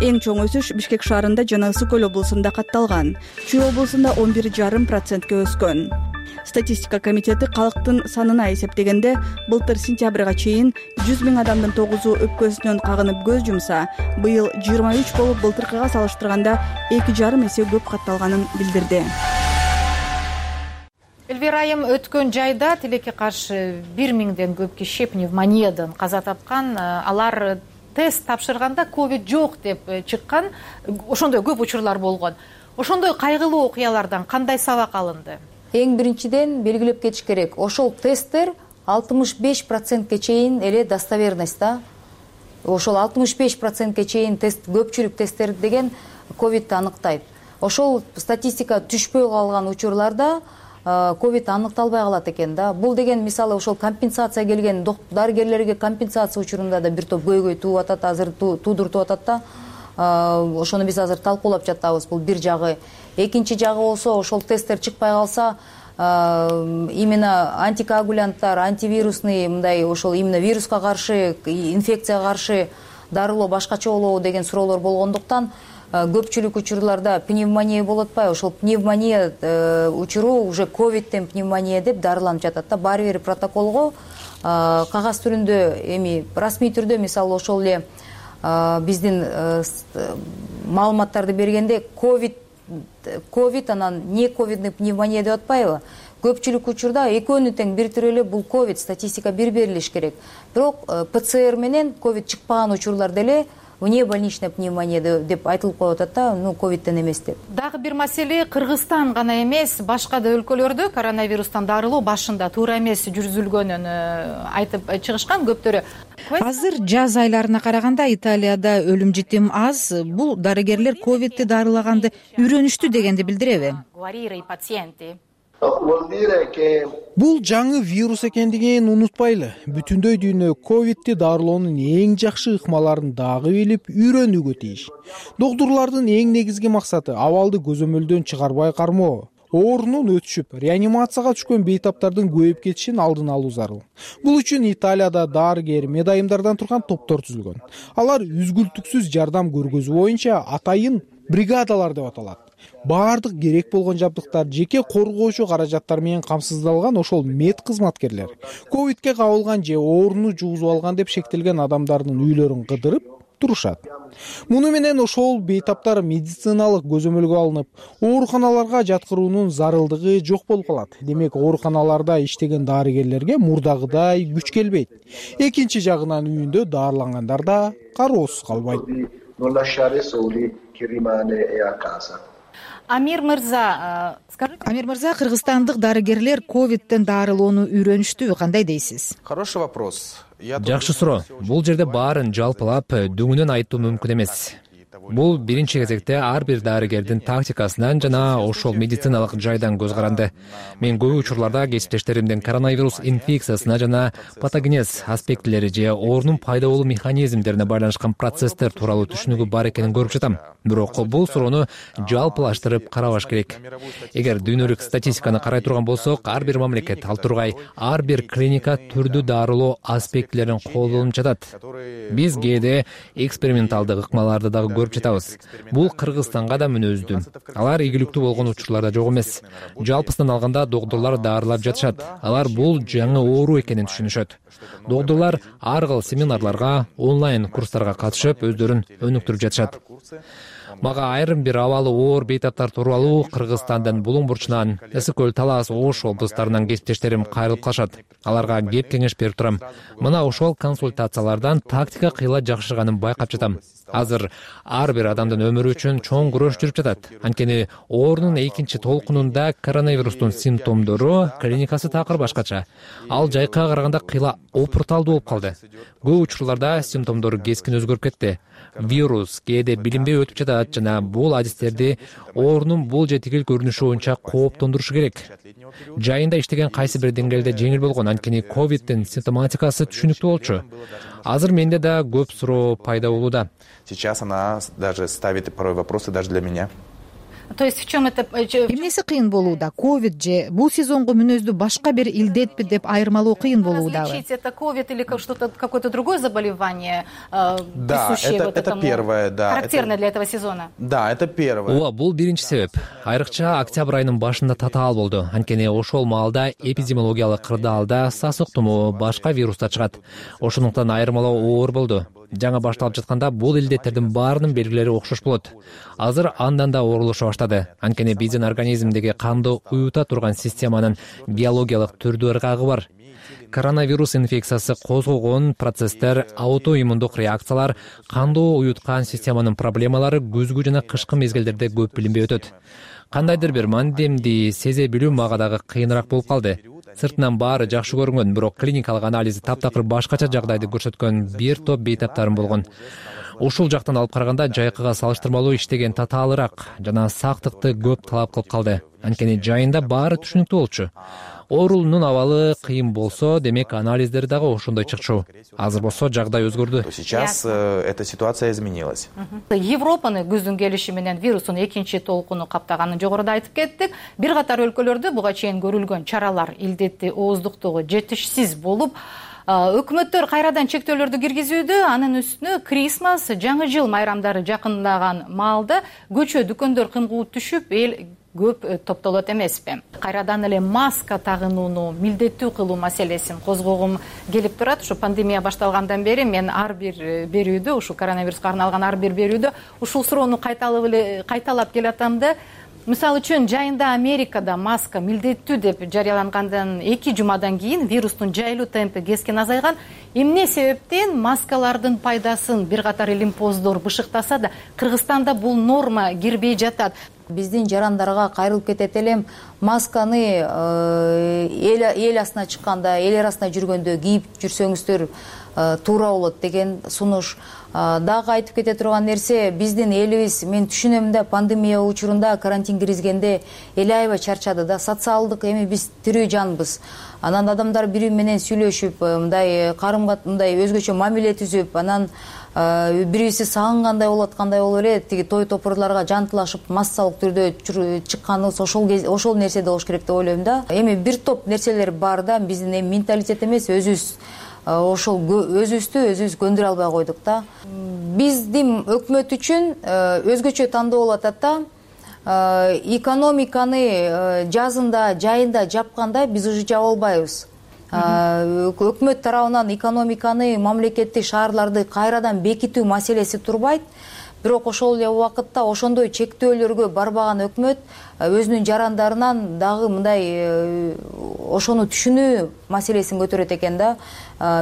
Эң чоң өсүш Бишкек шаарында жана Ысык көл облусунда катталган. Чүй облусунда 11,5%га өскөн. Статистика комитети калктын санына эсептегенде, былтыр сентябрга чейин 100 миң адамдын 9-у өпкөсүнөн кагынып көз жумса, быйыл 23 болуп былтыркыга салыштырганда 2,5 эсе көп катталганын билдирди. Элвира айым, өткөн жайда тилекке каршы 1 миңден көп киши пневмониядан каза тапкан. Алар тест тапшырганда ковид жок деп чыккан. Ошондой көп учурлар болгон. Ошондой кайгылуу окуялардан кандай сабак алынды? Эң биринчиден белгилеп кетиш керек. Ошол тесттер 65%ке чейин эле достоверность да. Ошол 65%ке чейин тест, көпчүлүк тесттер деген ковидти аныктайт. Ошол статистика түшпөй калган учурларда ковид аныкталбай калат экен да. Бул деген мисалы ошол компенсация келген дарыгерлерге компенсация учурунда да бир топ көйгөй тууп атат, азыр туудуртуп атат да. Ошону биз азыр талкуулап жатабыз. Бул бир жагы. Экинчи жагы болсо, ошол тесттер чыкпай калса, именно антикоагулянттар, антивирусный, мындай ошол именно вируска каршы, инфекцияга каршы дарылоо башкача болобу деген суроолор болгондуктан, көпчүлүк учурларда пневмония болуп атпайбы? Ошол пневмония учуру уже ковидтен пневмония деп дарыланып жатат да. Баары бир протоколго кагаз түрүндө, эми расмий түрдө, мисалы ошол эле биздин маалыматтарды бергенде ковид анан не ковидный пневмония деп атпайбы? Көпчүлүк учурда экөөнү тең бир түрү эле бул ковид, статистика бир берилиш керек. Бирок ПЦР менен ковид чыкпаган учурларда эле внебольничная пневмония деп айтылып коюп атат да, ковидтен эмес деп. Дагы бир маселе, Кыргызстан гана эмес, башка да өлкөлөрдө коронавирустан дарылоо башында туура эмес жүргүзүлгөнүн айтып чыгышкан көптөрү. Азыр жаз айларына караганда Италияда өлүм житим аз. Бул дарыгерлер ковидти дарылаганды үйрөнүштү дегенди билдиреби? Бул жаңы вирус экендигин унутпайлы. Бүтүндөй дүйнө ковидти дарылоонун эң жакшы ыкмаларын дагы билип, үйрөнүүгө тийиш. Доктурлардын эң негизги максаты абалды көзөмөлдөн чыгарбай кармоо, оорунун өтүшүп, реанимацияга түшкөн бейтаптардын көбөйүп кетишин алдын алуу зарыл. Бул үчүн Италияда дарыгер, медайымдардан турган топтор түзүлгөн. Алар үзгүлтүксүз жардам көргөзүү боюнча атайын бригадалар деп аталат. Баардык керек болгон жабдыктар, жеке коргоочу каражаттар менен камсыздалган ошол мед кызматкерлер ковидке кабылган же ооруну жугузуп алган деп шектелген адамдардын үйлөрүн кыдырып турушат. Муну менен ошол бейтаптар медициналык көзөмөлгө алынып, ооруканаларга жаткыруунун зарылдыгы жок болуп калат. Демек, ооруканаларда иштеген дарыгерлерге мурдагыдай күч келбейт. Экинчи жагынан үйүндө дарылангандар да кароосуз калбайт. Амир мырза, кыргызстандык дарыгерлер ковидтен дарылоону үйрөнүштүбү, кандай дейсиз? Хороший вопрос. Жакшы суроо. Бул жерде баарын жалпылап дүңүнөн айтуу мүмкүн эмес. Бул биринчи кезекте ар бир дарыгердин тактикасынан жана ошол медициналык жайдан көз каранды. Мен көп учурларда кесиптештеримдин коронавирус инфекциясына жана патогенез аспектилери же оорунун пайда болуу механизмдерине байланышкан процесстер тууралуу түшүнүгү бар экенин көрүп жатам. Бирок бул суроону жалпылаштырып карабаш керек. Эгер дүйнөлүк статистиканы карай турган болсок, ар бир мамлекет, ал тургай ар бир клиника түрдүү дарылоо аспектилерин колдонуп жатат. Биз кээде эксперименталдык ыкмаларды дагы көрүп жатабыз. Бул Кыргызстанга да мүнөздүү. Алар ийгиликтүү болгон учурларда жок эмес. Жалпысынан алганда доктурлар дарылап жатышат. Алар бул жаңы оору экенин түшүнүшөт. Доктурлар ар кыл семинарларга, онлайн курстарга катышып, өздөрүн өнүктүрүп жатышат. Мага айрым бир абалы оор бейтаптар тууралуу Кыргызстандын Булуң бурчунан, Ысык көл, Талас, Ош облустарынан кесиптештерим кайрылып калышат. Аларга кеп кеңеш берип турам. Мына ошол консультациялардан тактика кыйла жакшырганын байкап жатам. Азыр ар бир адамдын өмүрү үчүн чоң күрөш жүрүп жатат. Анткени оорунун экинчи толкунунда коронавирустун симптомдору, клиникасы такыр башкача. Ал жайкага караганда кыйла опурталдуу болуп калды. Көп учурларда симптомдор кескин өзгөрүп кетти. Вирус кээде билинбей өтүп жатат жана бул адистерди оорунун бул же тигил көрүнүшү боюнча кооптондурушу керек. Жайында иштеген кайсы бир деңгээлде жеңил болгон, анткени ковидтин симптоматикасы түшүнүктүү болчу. Азыр менде да көп суроо пайда болууда. Сейчас она даже ставит порой вопросы даже для меня. То есть в чем это? Эмнеси кыйын болууда? Ковид же бул сезонго мүнөздүү башка бир илдетпи деп айырмалоо кыйын болуудабы? Различить это ковид или что-то, какое-то другое заболевание, присущее вот этому, первое, да, характерное для этого сезона? Да, это первое. Ооба, бул биринчи себеп. Айрыкча октябрь айынын башында татаал болду. Анткени ошол маалда эпидемиологиялык кырдаалда сасык тумоо, башка вирустар чыгат. Ошондуктан айырмалоо оор болду. Жаңа башталып жатканда бул илдеттердин баарынын белгилери окшош болот. Азыр андан да оорулуша баштады. Анткени биздин организмдеги канды уюта турган системанын биологиялык түрдүү ыргагы бар. Коронавирус инфекциясы козгогон процесстер, аутоиммундук реакциялар, канды уюткан системанын проблемалары күзгү жана кышкы мезгилдерде көп билинбей өтөт. Кандайдыр бир мандемди сезе билүү мага дагы кыйыныраак болуп калды. Сыртынан баары жакшы көрүнгөн, бирок клиникалык анализи таптакыр башкача жагдайды көрсөткөн бир топ бейтаптарым болгон. Ушул жактан алып караганда жайкыга салыштырмалуу иштеген татаалыраак жана сактыкты көп талап кылып калды. Анткени жайында баары түшүнүктүү болчу. Оорунун абалы кыйын болсо, демек анализдер дагы ошондой чыкчу. Азыр болсо жагдай өзгөрдү. Сейчас эта ситуация изменилась. Европаны күздүн келиши менен вирустун экинчи толкуну каптаганын жогоруда айтып кеттик. Бир катар өлкөлөрдө буга чейин көрүлгөн чаралар илдетти ооздуктугу жетишсиз болуп, өкмөттөр кайрадан чектөөлөрдү киргизүүдө, анын үстүнө Крисмас, жаңы жыл майрамдары жакындаган маалда көчө дүкөндөр кымгуу түшүп, эл көп топтолот эмеспи? Кайрадан эле маска тагынууну милдеттүү кылуу маселесин козгогум келип турат. Ушу пандемия башталгандан бери мен ар бир берүүдө, ушу коронавируска арналган ар бир берүүдө ушул суроону кайталап келатам да. Мисалы үчүн жайында Америкада маска милдеттүү деп жарыялангандан 2 жумадан кийин вирустун жайылуу темпи кескин азайган. Эмне себептен маскалардын пайдасын бир катар илимпоздор бышыктаса да, Кыргызстанда бул норма кирбей жатат. Биздин жарандарга кайрылып кетет элем, масканы эл астына чыкканда, эл арасында жүргөндө кийип жүрсөңүздөр туура болот деген сунуш. Дагы айтып кете турган нерсе, биздин элибиз, мен түшүнөм да, пандемия учурунда карантин киргизгенде эл аябай чарчады да, социалдык эми биз тирүү жанбыз. Анан адамдар бири менен сүйлөшүп, мындай мындай өзгөчө мамиле түзүп, анан бирибизди сагынгандай болот, кандай болуп эле, тиги той топурларга жантылашып массалык түрдө чыкканыбыз ошол нерседе болуш керек деп ойлойм да. Эми бир топ нерселер бар да, биздин эми менталитет эмес, ошол өзүбүздү көндүрө албай койдук да. Биздин өкмөт үчүн өзгөчө тандоо болуп атат да. Экономиканы жазында, жайында жапканда биз уже жаба албайбыз. Өкмөт тарабынан экономиканы, мамлекеттик шаарларды кайрадан бекитүү маселеси турбайт. Бирок ошол эле убакытта ошондой чектөөлөргө барбаган өкмөт өзүнүн жарандарынан дагы мындай ошону түшүнүү маселесин көтөрөт экен да.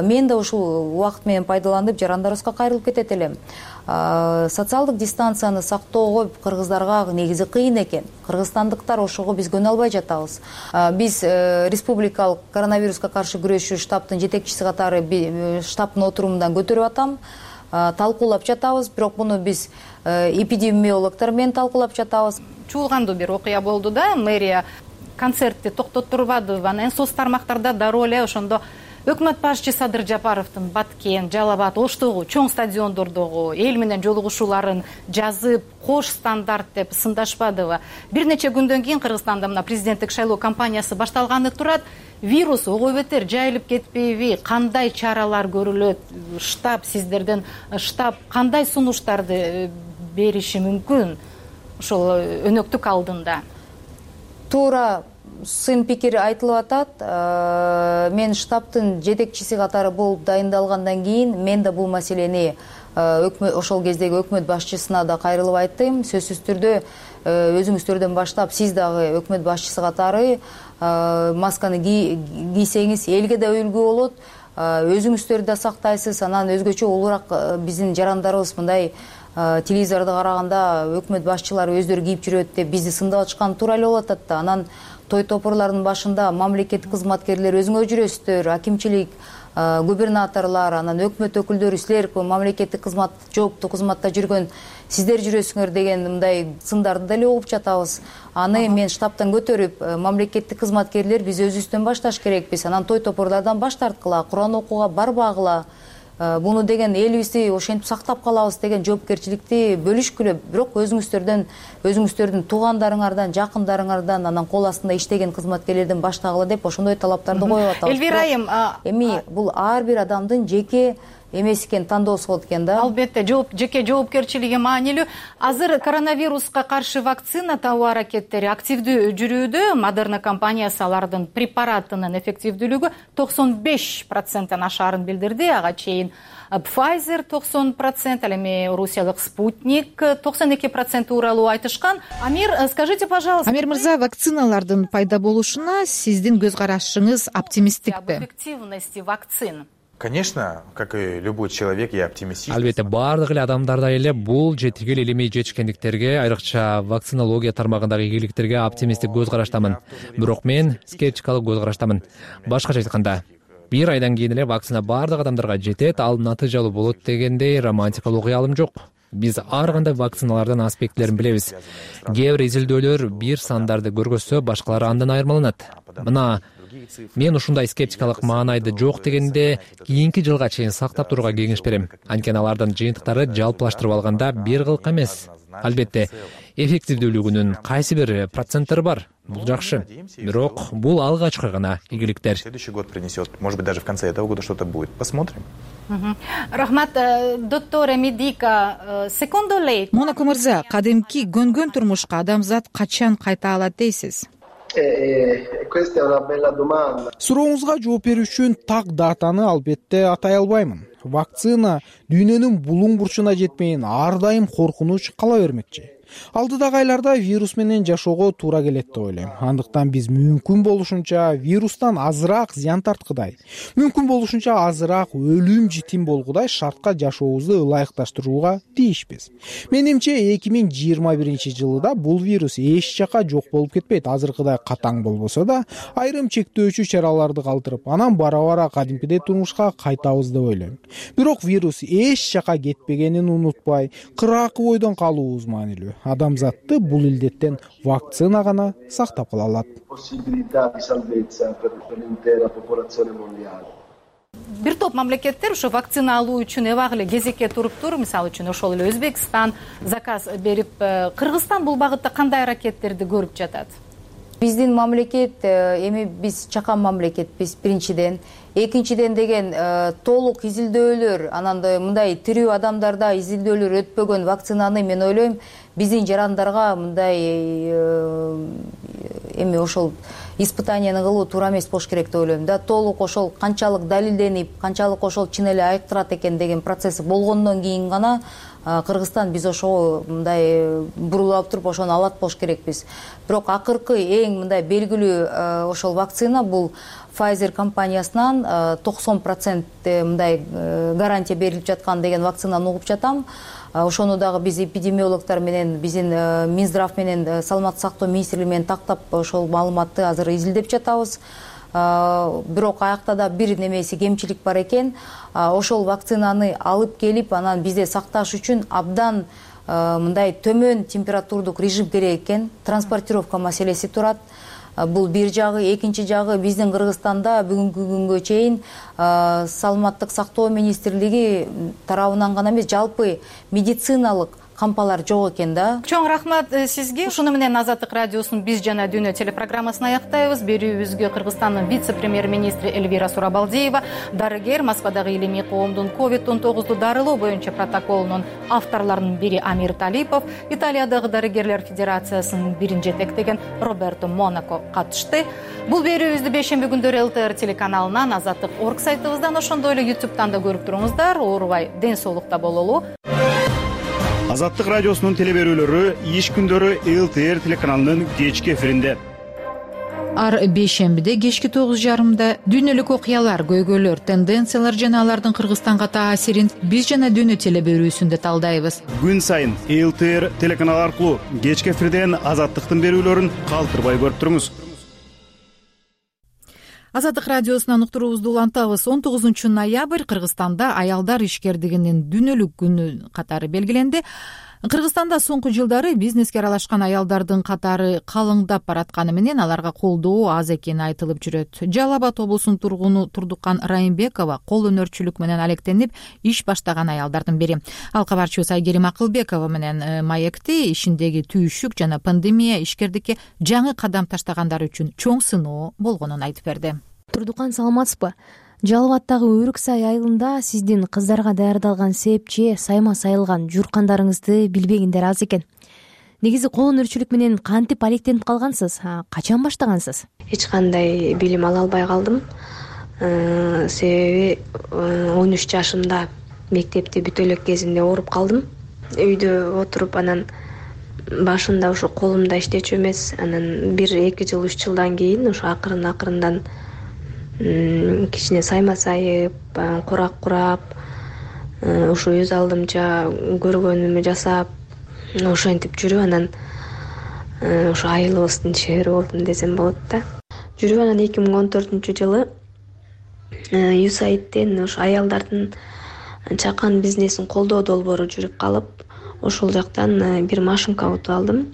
Мен да ушул убакыт менен пайдаланып жарандарыбызга кайрылып кетет элем. Социалдык дистанцияны сактоого кыргыздарга негизи кыйын экен. Кыргызстандыктар ошого биз көнө албай жатабыз. Биз республикалык коронавируска каршы күрөшүү штабтын жетекчиси катары штабтын отурумунан көтөрүп атам. Талкуулап жатабыз, бирок муну биз эпидемиологдор менен талкуулап жатабыз. Чуулгандуу бир окуя болду да, мэрия концертти токтоттурбады. Анан соц тармактарда дароо эле ошондо өкмөт башчысы Садыр Жапаровдун Баткен, Жалал Абад, Оштогу чоң стадиондордогу эл менен жолугушууларын жазып, кош стандарт деп сындашпадыбы? Бир нече күндөн кийин Кыргызстанда мына президенттик шайлоо кампаниясы башталганы турат. Вирус ого бетер жайылып кетпейби? Кандай чаралар көрүлөт? Сиздерден штаб кандай сунуштарды бериши мүмкүн ошол өнөктүк алдында? Туура сын пикир айтылып атат. Мен штабтын жетекчиси катары болуп дайындалгандан кийин мен да бул маселени ошол кездеги өкмөт башчысына да кайрылып айттым. Сөзсүз түрдө өзүңүздөрдөн баштап сиз дагы өкмөт башчысы катары масканы кийсеңиз элге да үлгү болот, өзүңүздөр да сактайсыз. Анан өзгөчө улуураак биздин жарандарыбыз мындай телевизорду караганда өкмөт башчылары өздөрү кийип жүрөт деп бизди сындап атышкан туура эле болуп атат да. Анан той топурлардын башында мамлекеттик кызматкерлер өзүңөр жүрөсүздөр, акимчилик, губернаторлор, анан өкмөт өкүлдөрү, силер мамлекеттик кызмат, жооптуу кызматта жүргөн сиздер жүрөсүңөр деген мындай сындарды деле угуп жатабыз. Аны мен штабтан көтөрүп, мамлекеттик кызматкерлер биз өзүбүздөн башташ керекпиз. Анан той топурлардан баш тарткыла, Куран окууга барбагыла. Буну деген элибизди ошентип сактап калабыз деген жоопкерчиликти бөлүшкүлө, бирок өзүңүздөрдүн туугандарыңардан, жакындарыңардан, анан кол астында иштеген кызматкерлерден баштагыла деп ошондой талаптарды коюп атабыз. Элвира айым, эми бул ар бир адамдын жеке эмес экен, тандоосу болот экен да. Албетте, жеке жоопкерчилиги маанилүү. Азыр коронавируска каршы вакцина табуу аракеттери активдүү жүрүүдө. Модерна компаниясы алардын препаратынын эффективдүүлүгү 95% ашаарын билдирди. Ага чейин Pfizer 90%, ал эми Русиялык Спутник 92% уралуу айтышкан. Амир, скажите, пожалуйста. Амир мырза, вакциналардын пайда болушуна сиздин көз карашыңыз оптимисттикпи? Об эффективности вакцин. Конечно, как и любой человек, я оптимист. Албетте, баардык эле адамдардай эле бул жетиги эле илимий жетишкендиктерге, айрыкча вакцинология тармагындагы ийгиликтерге оптимисттик көз караштамын. Бирок мен скептикалык көз караштамын. Башкача айтканда, бир айдан кийин эле вакцина баардык адамдарга жетет, ал натыйжалуу болот дегендей романтикалык уялым жок. Биз ар кандай вакциналардын аспектилерин билебиз. Кээ бир изилдөөлөр бир сандарды көргөзсө, башкалары андан айырмаланат. Мына мен ушундай скептикалык маанайды жок дегенде кийинки жылга чейин сактап турууга кеңеш берем. Анткени алардын жыйынтыктары жалпылаштырып алганда бир кылка эмес. Албетте, эффективдүүлүгүнүн кайсы бир проценттери бар. Бул жакшы. Бирок бул алгачкы гана ийгиликтер. Следующий год принесет, может быть, даже в конце этого года что-то будет. Посмотрим. Рахмат, доктор Медика. Secondo lei, Монако мырза, кадимки көнгөн турмушка адамзат качан кайта алат дейсиз? Сурооңузга жооп берүү үчүн так датаны албетте атай албаймын. Вакцина дүйнөнүн булуң бурчуна жетмейин ар дайым коркунуч кала бермекчи. Алдыдагы айларда вирус менен жашоого туура келет деп ойлойм. Андыктан биз мүмкүн болушунча вирустан азыраак зыян тарткыдай, мүмкүн болушунча азыраак өлүм житим болгудай шартка жашообузду ылайыкташтырууга тийишпиз. Менимче 2021-жылда бул вирус эч жака жок болуп кетпейт. Азыркыдай катаң болбосо да, айрым чектөөчү чараларды калтырып, анан бара-бара кадимкидей турмушка кайтабыз деп ойлойм. Бирок вирус эч жака кетпегенин унутпай, кыракы бойдон калуубуз маанилүү. Адамзатты бул илдеттен вакцина гана сактап кала алат. Бир топ мамлекеттер ушу вакцина алуу үчүн эбак эле кезекке туруптур. Мисалы үчүн ошол эле Өзбекстан заказ берип, Кыргызстан бул багытта кандай аракеттерди көрүп жатат? Биздин мамлекет эми биз чакан мамлекетпиз биринчиден. Экинчиден деген толук изилдөөлөр, анан мындай тирүү адамдарда изилдөөлөр өтпөгөн вакцинаны мен ойлойм биздин жарандарга мындай эми ошол испытанияны кылуу туура эмес болуш керек деп ойлойм да. Толук ошол канчалык далилденип, канчалык ошол чын эле айыктырат экен деген процесси болгондон кийин гана Кыргызстан биз ошого мындай бурулуп туруп ошону алат болуш керекпиз. Бирок акыркы эң мындай белгилүү ошол вакцина бул Pfizer компаниясынан 90% мындай гарантия берилип жаткан деген вакцинаны угуп жатам. Ошону дагы биз эпидемиологдор менен, биздин Минздрав менен, Саламаттык сактоо министрлиги менен тактап ошол маалыматты азыр изилдеп жатабыз. Бирок аякта да бир немеси кемчилик бар экен. Ошол вакцинаны алып келип, анан бизде сакташ үчүн абдан мындай төмөн температурдук режим керек экен. Транспортировка маселеси турат. Бул бир жагы, экинчи жагы биздин Кыргызстанда бүгүнкү күнгө чейин Саламаттык сактоо министрлиги тарабынан гана эмес, жалпы медициналык кампалар жок экен да. Чоң рахмат сизге. Ушуну менен Азаттык радиосунун Биз жана дүйнө телепрограммасын аяктайбыз. Берүүбүзгө Кыргызстандын вице-премьер-министри Эльвира Сурабалдиева, дарыгер, Москвадагы илимий коомдун COVID-19 дарылоо боюнча протоколунун авторлорунун бири Амир Талипов, Италиядагы дарыгерлер федерациясынын бирин жетектеген Роберто Монако катышты. Бул берүүбүздү бейшемби күндөрү ЛТР телеканалынан, Азаттык.орг сайтыбыздан, ошондой эле YouTube'дан да көрүп туруңуздар. Оорубай, ден соолукта бололу. Азаттык радиосунун телеберүүлөрү иш күндөрү ЛТР телеканалынын кечки эфиринде. Ар бейшембиде кечки 9:30 дүйнөлүк окуялар, көйгөйлөр, тенденциялар жана алардын Кыргызстанга таасирин Биз жана дүйнө телеберүүсүндө талдайбыз. Күн сайын ЛТР телеканалы аркылуу кечки эфирден Азаттыктын берүүлөрүн калтырбай көрүп туруңуз. Азаттык радиосунан уктуруубузду улантабыз. 19 ноябрь Кыргызстанда аялдар ишкердигинин дүйнөлүк күнү катары белгиленди. Кыргызстанда соңку жылдары бизнеске аралашкан аялдардын катары калыңдап баратканы менен аларга колдоо аз экени айтылып жүрөт. Жалал Абад облусунун тургуну Турдукан Райымбекова кол өнөрчүлүк менен алектенип иш баштаган аялдардын бири. Ал кабарчыбыз Айгерим Акылбекова менен маекти ишиндеги түйүшүк жана пандемия ишкердикке жаңы кадам таштагандар үчүн чоң сыноо болгонун айтып берди. Турдукан, саламатсызбы? Жалал Абадтагы Өрүксай айылында сиздин кыздарга даярдалган сепче, сайма сайылган журкандарыңызды билбегендер аз экен. Негизи кол өнөрчүлүк менен кантип алектенип калгансыз? Качан баштагансыз? Эч кандай билим ала албай калдым. Себеби 13 жашымда мектепти бүтө элек кезинде ооруп калдым. Үйдө отуруп, анан башында ушу колумда иштечү эмес, анан 1-2 жыл, 3 жылдан кийин ушу акырындан кичине сайма сайып, курак курап, ушу өз алдымча көргөнүмө жасап, ошентип жүрүп, анан ушу айылыбыздын шери болдум десем болот да. Жүрүп, анан 2014-жылы USAIDтен ушу аялдардын чакан бизнесин колдоо долбоору жүрүп калып, ошол жактан бир машинка утуп алдым.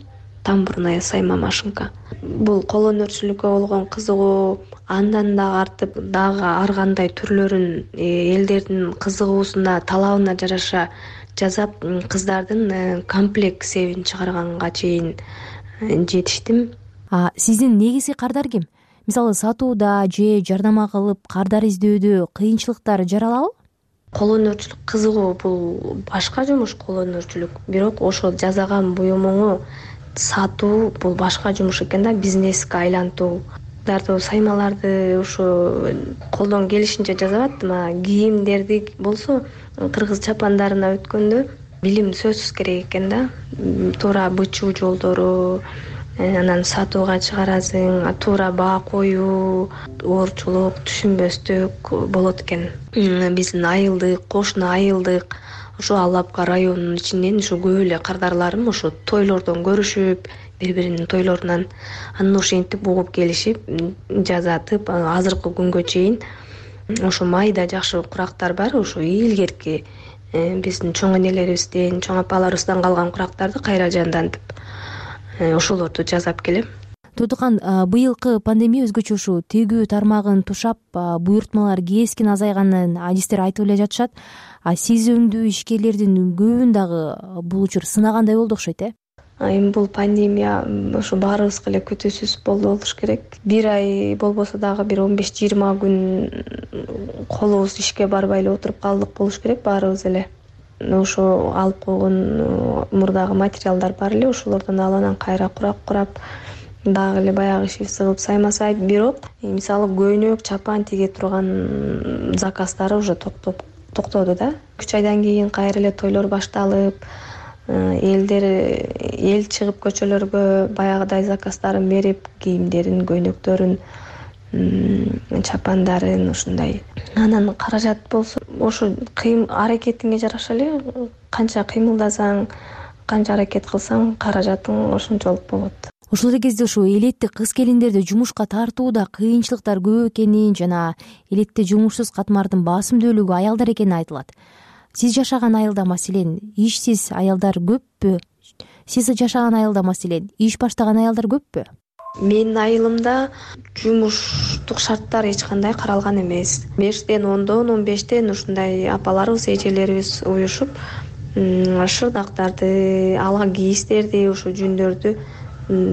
Тамбурная сайма машинка. Бул кол өнөрчүлүккө болгон кызыгуу андан дагы артып, дагы ар кандай түрлөрүн элдердин кызыгуусуна, талабына жараша жасап, кыздардын комплект себин чыгарганга чейин жетиштим. Сиздин негизги кардар ким? Мисалы, сатууда же жардама кылып кардар издөөдө кыйынчылыктар жаралабы? Кол өнөрчүлүк кызыгуу, бул башка жумуш кол өнөрчүлүк. Бирок ошол жасаган буюмуңу сатуу бул башка жумуш экен да, бизнеске айлантуу. Саймаларды ушу колдон келишинче жасап аттым. Кийимдерди болсо кыргыз чапандарына өткөндө билим сөзсүз керек экен да. Туура бычуу жолдору, анан сатууга чыгарасың, туура баа коюу, оорчулук, түшүнбөстүк болот экен. Биздин айылдык, кошуна айылдык, ушу Алапка районунун ичинен ушу көп эле кардарларым ушу тойлордон көрүшүп, бири-биринин тойлорунан анан ошентип угуп келишип, жазатып, азыркы күнгө чейин ошо майда жакшы курактар бар, ошо илгерки биздин чоң энелерибизден, чоң апаларыбыздан калган курактарды кайра жандантып, ошолорду жасап келем. Турдукан, быйылкы пандемия өзгөчө ушу тегүү тармагын тушап, буйртмалар кескен азайганын адистер айтып эле жатышат. Сиз өңдүү ишкерлердин көбүн дагы бул учур сынагандай болду окшойт, Эми бул пандемия ошо баарыбызга эле күтүүсүз болду болуш керек. Бир ай болбосо дагы бир 15-20 күн колубуз ишке барбай эле отуруп калдык болуш керек баарыбыз эле. Ошо алып койгон мурдагы материалдар бар эле, ошолордон алып анан кайра курак курап, дагы эле баягы ишибизди кылып сайма сайып. Бирок мисалы көйнөк, чапан тиге турган заказдары уже токтоду да. 3 айдан кийин кайра эле тойлор башталып, эл чыгып көчөлөргө баягыдай заказдарын берип, кийимдерин, көйнөктөрүн, чапандарын ушундай. Анан каражат болсо, ошо аракетиңе жараша эле, канча кыймылдасаң, канча аракет кылсаң, каражатың ошончолук болот. Ошол эле кезде ушу элетти кыз келиндерди жумушка тартууда кыйынчылыктар көп экенин жана элетте жумушсуз катмардын басымдүүлүгү аялдар экени айтылат. Сиз жашаган айылда маселен ишсиз аялдар көппү? Сиз жашаган айылда маселен иш баштаган аялдар көппү? Менин айылымда жумуштук шарттар эч кандай каралган эмес. 5-тен 10-дон 15-тен ушундай апаларыбыз, эжелерибиз уюшуп шырдактарды, ала кийиздерди, ушу жүндөрдү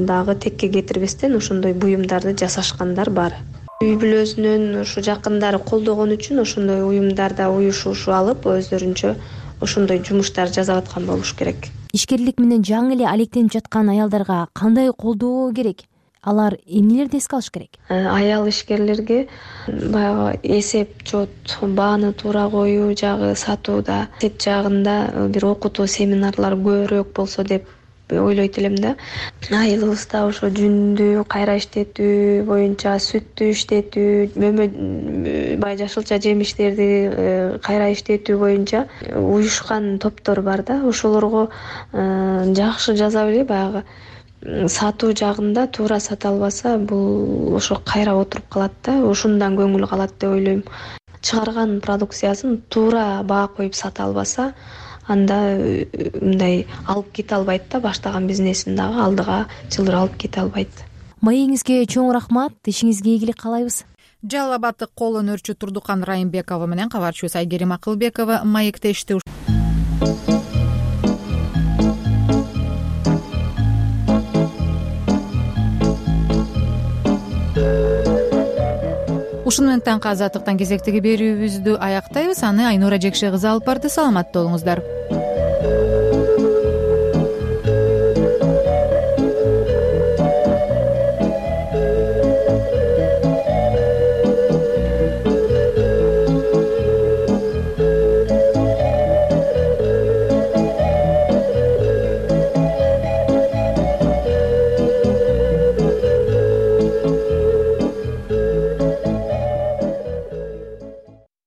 дагы текке кетирбестен ошондой буюмдарды жасашкандар бар. Үй бүлөсүнөн ушу жакындары колдогон үчүн ошондой уюмдарда уюшушу алып өздөрүнчө ошондой жумуштар жасап аткан болуш керек. Ишкерлик менен жаңы эле алектенип жаткан аялдарга кандай колдоо керек? Алар эмнелерди эске алыш керек? Аял ишкерлерге баягы эсеп чот, бааны туура коюу жагы, сатууда, эсеп жагында бир окутуу семинарлар көбүрөөк болсо деп ойлойт элем да. Айылыбызда ошо жүндү кайра иштетүү боюнча, сүттү иштетүү, бай жашылча жемиштерди кайра иштетүү боюнча уюшкан топтор бар да. Ошолорго жакшы жаза биле баягы сатуу жагында туура сата албаса, бул ошо кайра отуруп калат да, ушундан көңүл калат деп ойлойм. Чыгарган продукциясын туура баа коюп сата албаса, анда мындай алып кете албайт да, баштаган бизнесин дагы алдыга жылдыр алып кете албайт. Маегиңизге чоң рахмат, ишиңизге ийгилик каалайбыз. Жалал абаддык кол өнөрчү Турдукан Райымбекова менен кабарчыбыз Айгерим Акылбекова маектешти. Ушуну менен таңкы азаттыктан кезектеги берүүбүздү аяктайбыз. Аны Айнура Жекше кызы алып барды. Саламатта болуңуздар.